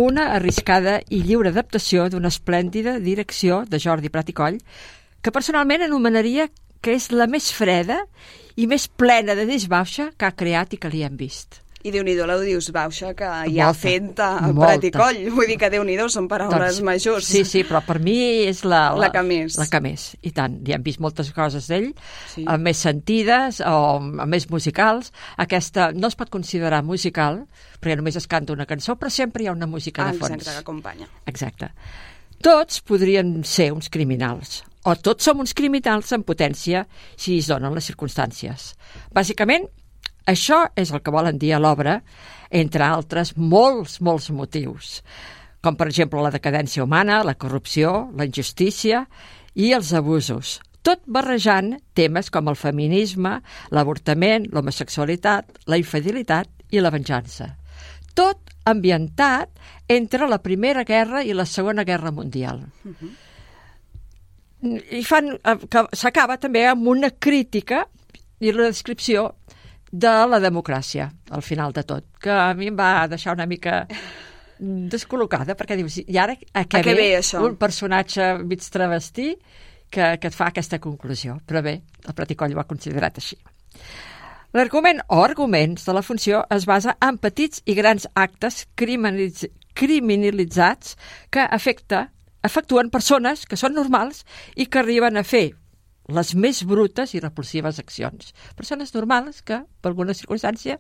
[SPEAKER 9] Una arriscada i lliure adaptació d'una esplèndida direcció de Jordi Prat i Coll, que personalment anomenaria que és la més freda i més plena de disbauxa que ha creat i que li hem vist.
[SPEAKER 1] I Déu-n'hi-do la disbauxa que hi ha
[SPEAKER 9] Molta,
[SPEAKER 1] fet a
[SPEAKER 9] molta.
[SPEAKER 1] Prat i Coll. Vull dir que Déu-n'hi-do són paraules
[SPEAKER 9] doncs,
[SPEAKER 1] majors.
[SPEAKER 9] Sí, sí, però per mi és la, la,
[SPEAKER 1] la que més.
[SPEAKER 9] La que més, i tant. Ja hem vist moltes coses d'ell,
[SPEAKER 1] sí.
[SPEAKER 9] amb més sentides o amb més musicals. Aquesta no es pot considerar musical, perquè només es canta una cançó, però sempre hi ha una música
[SPEAKER 1] ah,
[SPEAKER 9] de fons.
[SPEAKER 1] Exacte, que acompanya.
[SPEAKER 9] Exacte. Tots podrien ser uns criminals, o tots som uns criminals en potència si es donen les circumstàncies. Bàsicament, això és el que volen dir a l'obra, entre altres molts, molts motius, com per exemple la decadència humana, la corrupció, la injustícia i els abusos, tot barrejant temes com el feminisme, l'avortament, l'homosexualitat, la infidelitat i la venjança. Tot ambientat entre la Primera Guerra i la Segona Guerra Mundial. Uh-huh. I fan, que s'acaba també amb una crítica i la descripció de la democràcia, al final de tot, que a mi em va deixar una mica descol·locada, perquè dius, i ara a què,
[SPEAKER 1] a què
[SPEAKER 9] ve,
[SPEAKER 1] ve això?
[SPEAKER 9] Un personatge mig travestí que, que et fa aquesta conclusió. Però bé, el Prat i Coll ho ha considerat així. L'argument o arguments de la funció es basa en petits i grans actes criminalitz criminalitzats que afecta, efectuen persones que són normals i que arriben a fer les més brutes i repulsives accions. Persones normals que, per alguna circumstància,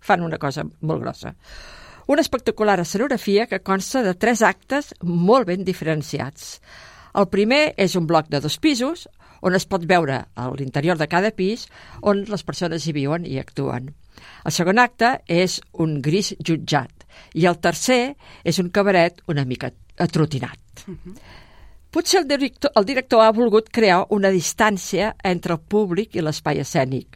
[SPEAKER 9] fan una cosa molt grossa. Una espectacular escenografia que consta de tres actes molt ben diferenciats. El primer és un bloc de dos pisos, on es pot veure a l'interior de cada pis on les persones hi viuen i actuen. El segon acte és un gris jutjat i el tercer és un cabaret una mica atrotinat. Uh-huh. Potser el director, el director ha volgut crear una distància entre el públic i l'espai escènic,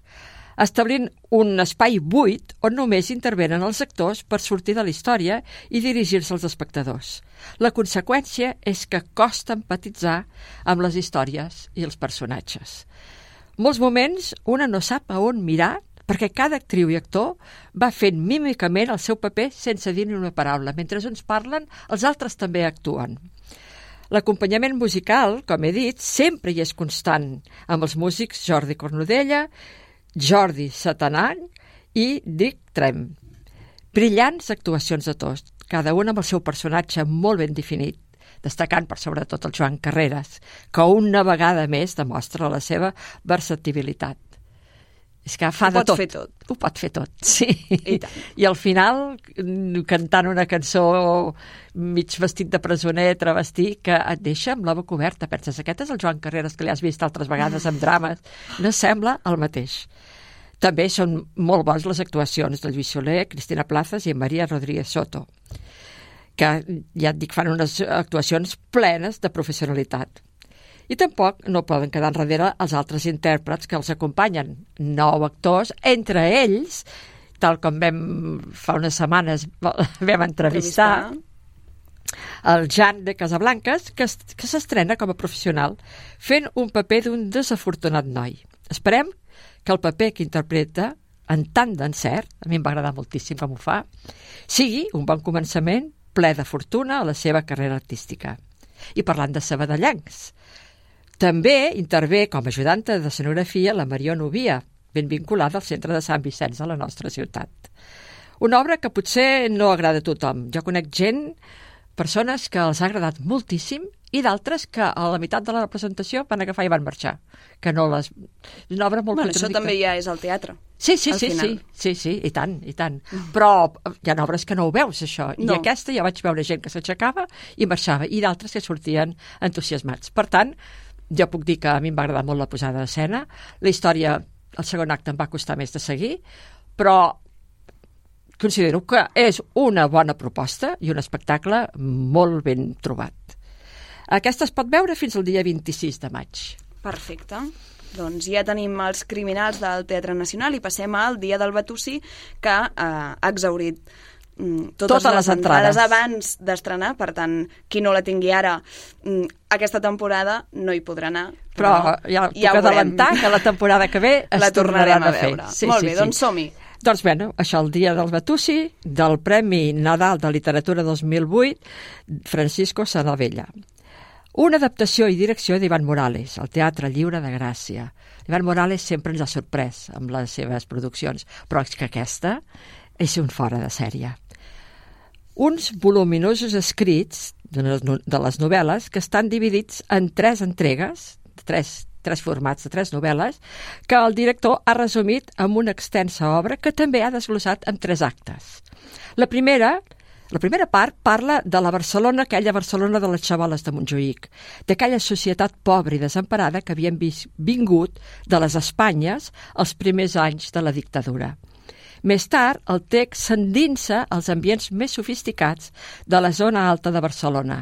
[SPEAKER 9] establint un espai buit on només intervenen els actors per sortir de la història i dirigir-se als espectadors. La conseqüència és que costa empatitzar amb les històries i els personatges. Molts moments una no sap a on mirar perquè cada actriu i actor va fent mímicament el seu paper sense dir ni una paraula. Mentre uns parlen, els altres també actuen. L'acompanyament musical, com he dit, sempre hi és constant, amb els músics Jordi Cornudella, Jordi Satanany i Dick Trem. Brillants actuacions de tots, cada un amb el seu personatge molt ben definit, destacant per sobretot el Joan Carreras, que una vegada més demostra la seva versatilitat. És que fa
[SPEAKER 1] ho
[SPEAKER 9] de
[SPEAKER 1] pot
[SPEAKER 9] tot.
[SPEAKER 1] fer tot.
[SPEAKER 9] Ho pot fer tot, sí.
[SPEAKER 1] I tant.
[SPEAKER 9] I al final, cantant una cançó mig vestit de presoner, travestí, que et deixa amb la boca oberta. Penses, aquest és el Joan Carreras que li has vist altres vegades en drames. No sembla el mateix. També són molt bons les actuacions de Lluís Soler, Cristina Plazas i Maria Rodríguez Soto, que, ja et dic, fan unes actuacions plenes de professionalitat. I tampoc no poden quedar enrere els altres intèrprets que els acompanyen. Nou actors, entre ells, tal com vam fa unes setmanes vam entrevistar, el Jan de Casablanques, que, que s'estrena com a professional, fent un paper d'un desafortunat noi. Esperem que el paper que interpreta, en tant d'encert, a mi em va agradar moltíssim com ho fa, sigui un bon començament, ple de fortuna a la seva carrera artística. I parlant de sabadellencs, també intervé com a ajudanta de escenografia la Mariona Ovia, ben vinculada al centre de Sant Vicenç de la nostra ciutat. Una obra que potser no agrada a tothom. Jo conec gent, persones que els ha agradat moltíssim i d'altres que a la meitat de la representació van agafar i van marxar. Que no les... És una obra molt
[SPEAKER 1] bueno,
[SPEAKER 9] contradictòria.
[SPEAKER 1] això també ja és al teatre.
[SPEAKER 9] Sí, sí, sí, sí, sí, sí, i tant, i tant. Però hi ha obres que no ho veus, això. I
[SPEAKER 1] No.
[SPEAKER 9] aquesta ja vaig veure gent que s'aixecava i marxava, i d'altres que sortien entusiasmats. Per tant, jo puc dir que a mi em va agradar molt la posada d'escena. La història, el segon acte em va costar més de seguir, però considero que és una bona proposta i un espectacle molt ben trobat. Aquesta es pot veure fins al dia vint-i-sis de maig.
[SPEAKER 1] Perfecte. Doncs ja tenim els criminals del Teatre Nacional i passem al Dia del Batussí, que eh, ha exhaurit mm, totes,
[SPEAKER 9] Totes les
[SPEAKER 1] les entrades
[SPEAKER 9] entrades.
[SPEAKER 1] abans d'estrenar, per tant, qui no la tingui ara mm, aquesta temporada no hi podrà anar.
[SPEAKER 9] Però ja puc
[SPEAKER 1] ja ho
[SPEAKER 9] adelantar
[SPEAKER 1] veurem.
[SPEAKER 9] que la temporada que ve es
[SPEAKER 1] La tornarem
[SPEAKER 9] tornaran
[SPEAKER 1] a
[SPEAKER 9] a fer.
[SPEAKER 1] veure.
[SPEAKER 9] Sí,
[SPEAKER 1] Molt
[SPEAKER 9] sí,
[SPEAKER 1] bé,
[SPEAKER 9] sí.
[SPEAKER 1] doncs som-hi.
[SPEAKER 9] Doncs bé, no, això el dia del Batussi, del Premi Nadal de Literatura dos mil vuit, Francisco Sanavella. Una adaptació i direcció d'Ivan Morales, al Teatre Lliure de Gràcia. Ivan Morales sempre ens ha sorprès amb les seves produccions, però és que aquesta és un fora de sèrie. Uns voluminosos escrits de les, de les novel·les que estan dividits en tres entregues, tres tres formats de tres novel·les, que el director ha resumit en una extensa obra que també ha desglossat en tres actes. La primera, la primera part parla de la Barcelona, aquella Barcelona de les xavoles de Montjuïc, d'aquella societat pobra i desemparada que havien vingut de les Espanyes els primers anys de la dictadura. Més tard, el text s'endinsa als ambients més sofisticats de la zona alta de Barcelona,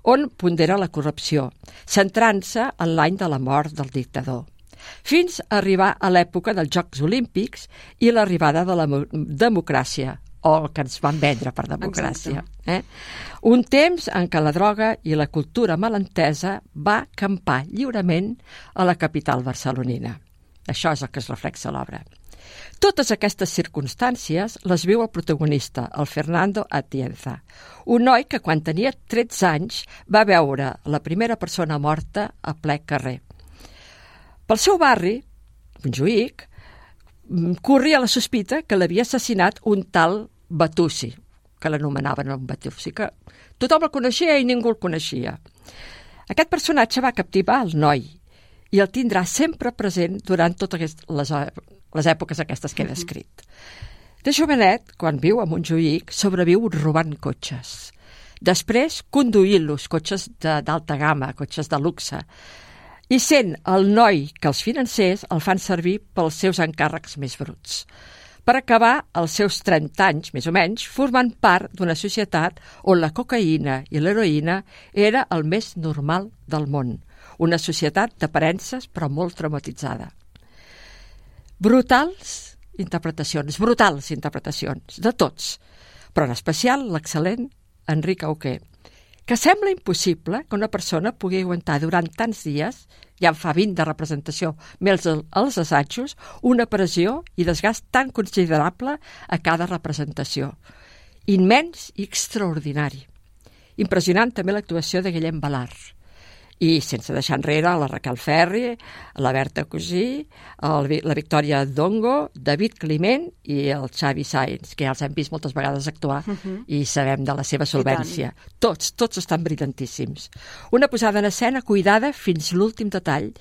[SPEAKER 9] on pondera la corrupció, centrant-se en l'any de la mort del dictador, fins a arribar a l'època dels Jocs Olímpics i l'arribada de la democràcia, o el que ens van vendre per democràcia. Eh? Un temps en què la droga i la cultura malentesa va campar lliurement a la capital barcelonina. Això és el que es reflexa a l'obra. Totes aquestes circumstàncies les viu el protagonista, el Fernando Atienza, un noi que quan tenia tretze anys va veure la primera persona morta a ple carrer. Pel seu barri, Montjuïc, corria la sospita que l'havia assassinat un tal Batussi, que l'anomenaven un Batussi, que tothom el coneixia i ningú el coneixia. Aquest personatge va captivar el noi i el tindrà sempre present durant totes les, les èpoques aquestes que he descrit. De jovenet, quan viu a Montjuïc, sobreviu robant cotxes. Després, conduint-los, cotxes d'alta gamma, cotxes de luxe. I sent el noi que els financers el fan servir pels seus encàrrecs més bruts. Per acabar els seus trenta anys, més o menys, formant part d'una societat on la cocaïna i l'heroïna era el més normal del món. Una societat d'aparences, però molt traumatitzada. Brutals interpretacions, brutals interpretacions, de tots, però en especial l'excel·lent Enric Auqué, que sembla impossible que una persona pugui aguantar durant tants dies, ja en fa vint de representació, més els assajos, una pressió i desgast tan considerable a cada representació. Immens i extraordinari. Impressionant també l'actuació de Guillem Balart. I sense deixar enrere la Raquel Ferri, la Berta Cosí, el, la Victòria Dongo, David Climent i el Xavi Sáenz, que ja els hem vist moltes vegades actuar uh -huh. i sabem de la seva solvència. Tots, tots estan brillantíssims. Una posada en escena cuidada fins l'últim detall,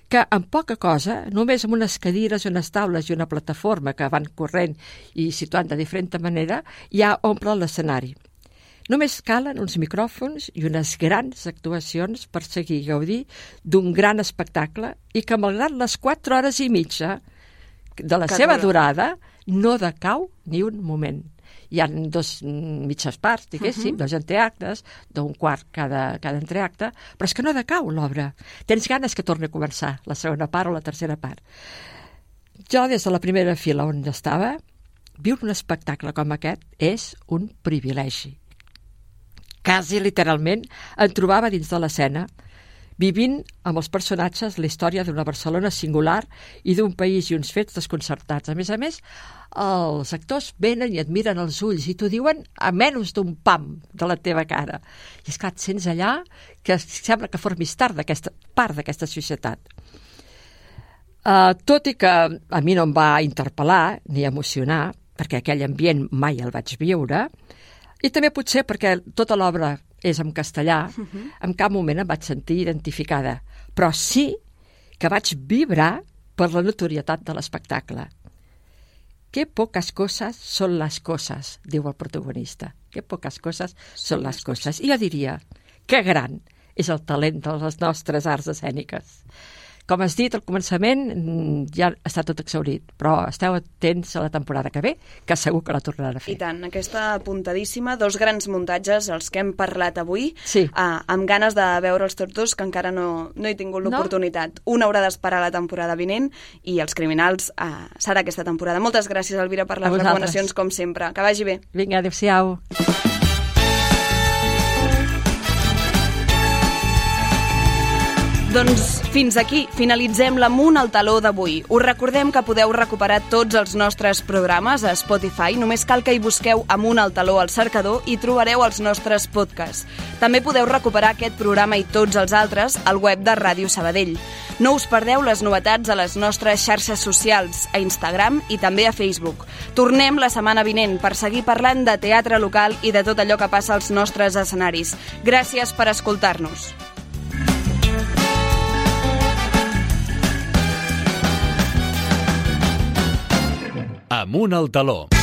[SPEAKER 9] que amb poca cosa, només amb unes cadires, unes taules i una plataforma que van corrent i situant de diferent manera, ja omple l'escenari. Només calen uns micròfons i unes grans actuacions per seguir gaudir d'un gran espectacle i que, malgrat les quatre hores i mitja de la que seva dura. durada, no decau ni un moment. Hi ha dos mitges parts, diguéssim, uh -huh. dos entreactes, d'un quart cada, cada entreacte, però és que no decau l'obra. Tens ganes que torni a començar la segona part o la tercera part. Jo, des de la primera fila on estava, viure un espectacle com aquest és un privilegi. Quasi literalment em trobava dins de l'escena, vivint amb els personatges la història d'una Barcelona singular i d'un país i uns fets desconcertats. A més a més, els actors venen i et miren els ulls i t'ho diuen a menys d'un pam de la teva cara. I esclar, et sents allà que sembla que formis part d'aquesta part d'aquesta societat. Uh, tot i que a mi no em va interpel·lar ni emocionar, perquè aquell ambient mai el vaig viure, i també potser perquè tota l'obra és en castellà, uh-huh. en cap moment em vaig sentir identificada, però sí que vaig vibrar per la notorietat de l'espectacle. Qué pocas cosas son las cosas, diu el protagonista. Qué pocas cosas son las cosas. I jo diria, que gran és el talent de les nostres arts escèniques. Com has dit al començament, ja està tot exhaurit, però esteu atents a la temporada que ve, que segur que la tornaran a fer.
[SPEAKER 1] I tant, aquesta apuntadíssima, dos grans muntatges, els que hem parlat avui,
[SPEAKER 9] sí.
[SPEAKER 1] eh, amb ganes de veure'ls tots dos, que encara no, no he tingut l'oportunitat. No? Un haurà d'esperar la temporada vinent i Els Criminals eh, serà aquesta temporada. Moltes gràcies, Elvira, per les recomanacions, com sempre. Que vagi bé.
[SPEAKER 9] Vinga, adéu-siau.
[SPEAKER 1] Doncs fins aquí finalitzem l'Amunt al Taló d'avui. Us recordem que podeu recuperar tots els nostres programes a Spotify. Només cal que hi busqueu Amunt al Taló al cercador i trobareu els nostres podcasts. També podeu recuperar aquest programa i tots els altres al web de Ràdio Sabadell. No us perdeu les novetats a les nostres xarxes socials, a Instagram i també a Facebook. Tornem la setmana vinent per seguir parlant de teatre local i de tot allò que passa als nostres escenaris. Gràcies per escoltar-nos.
[SPEAKER 2] Amunt al Taló.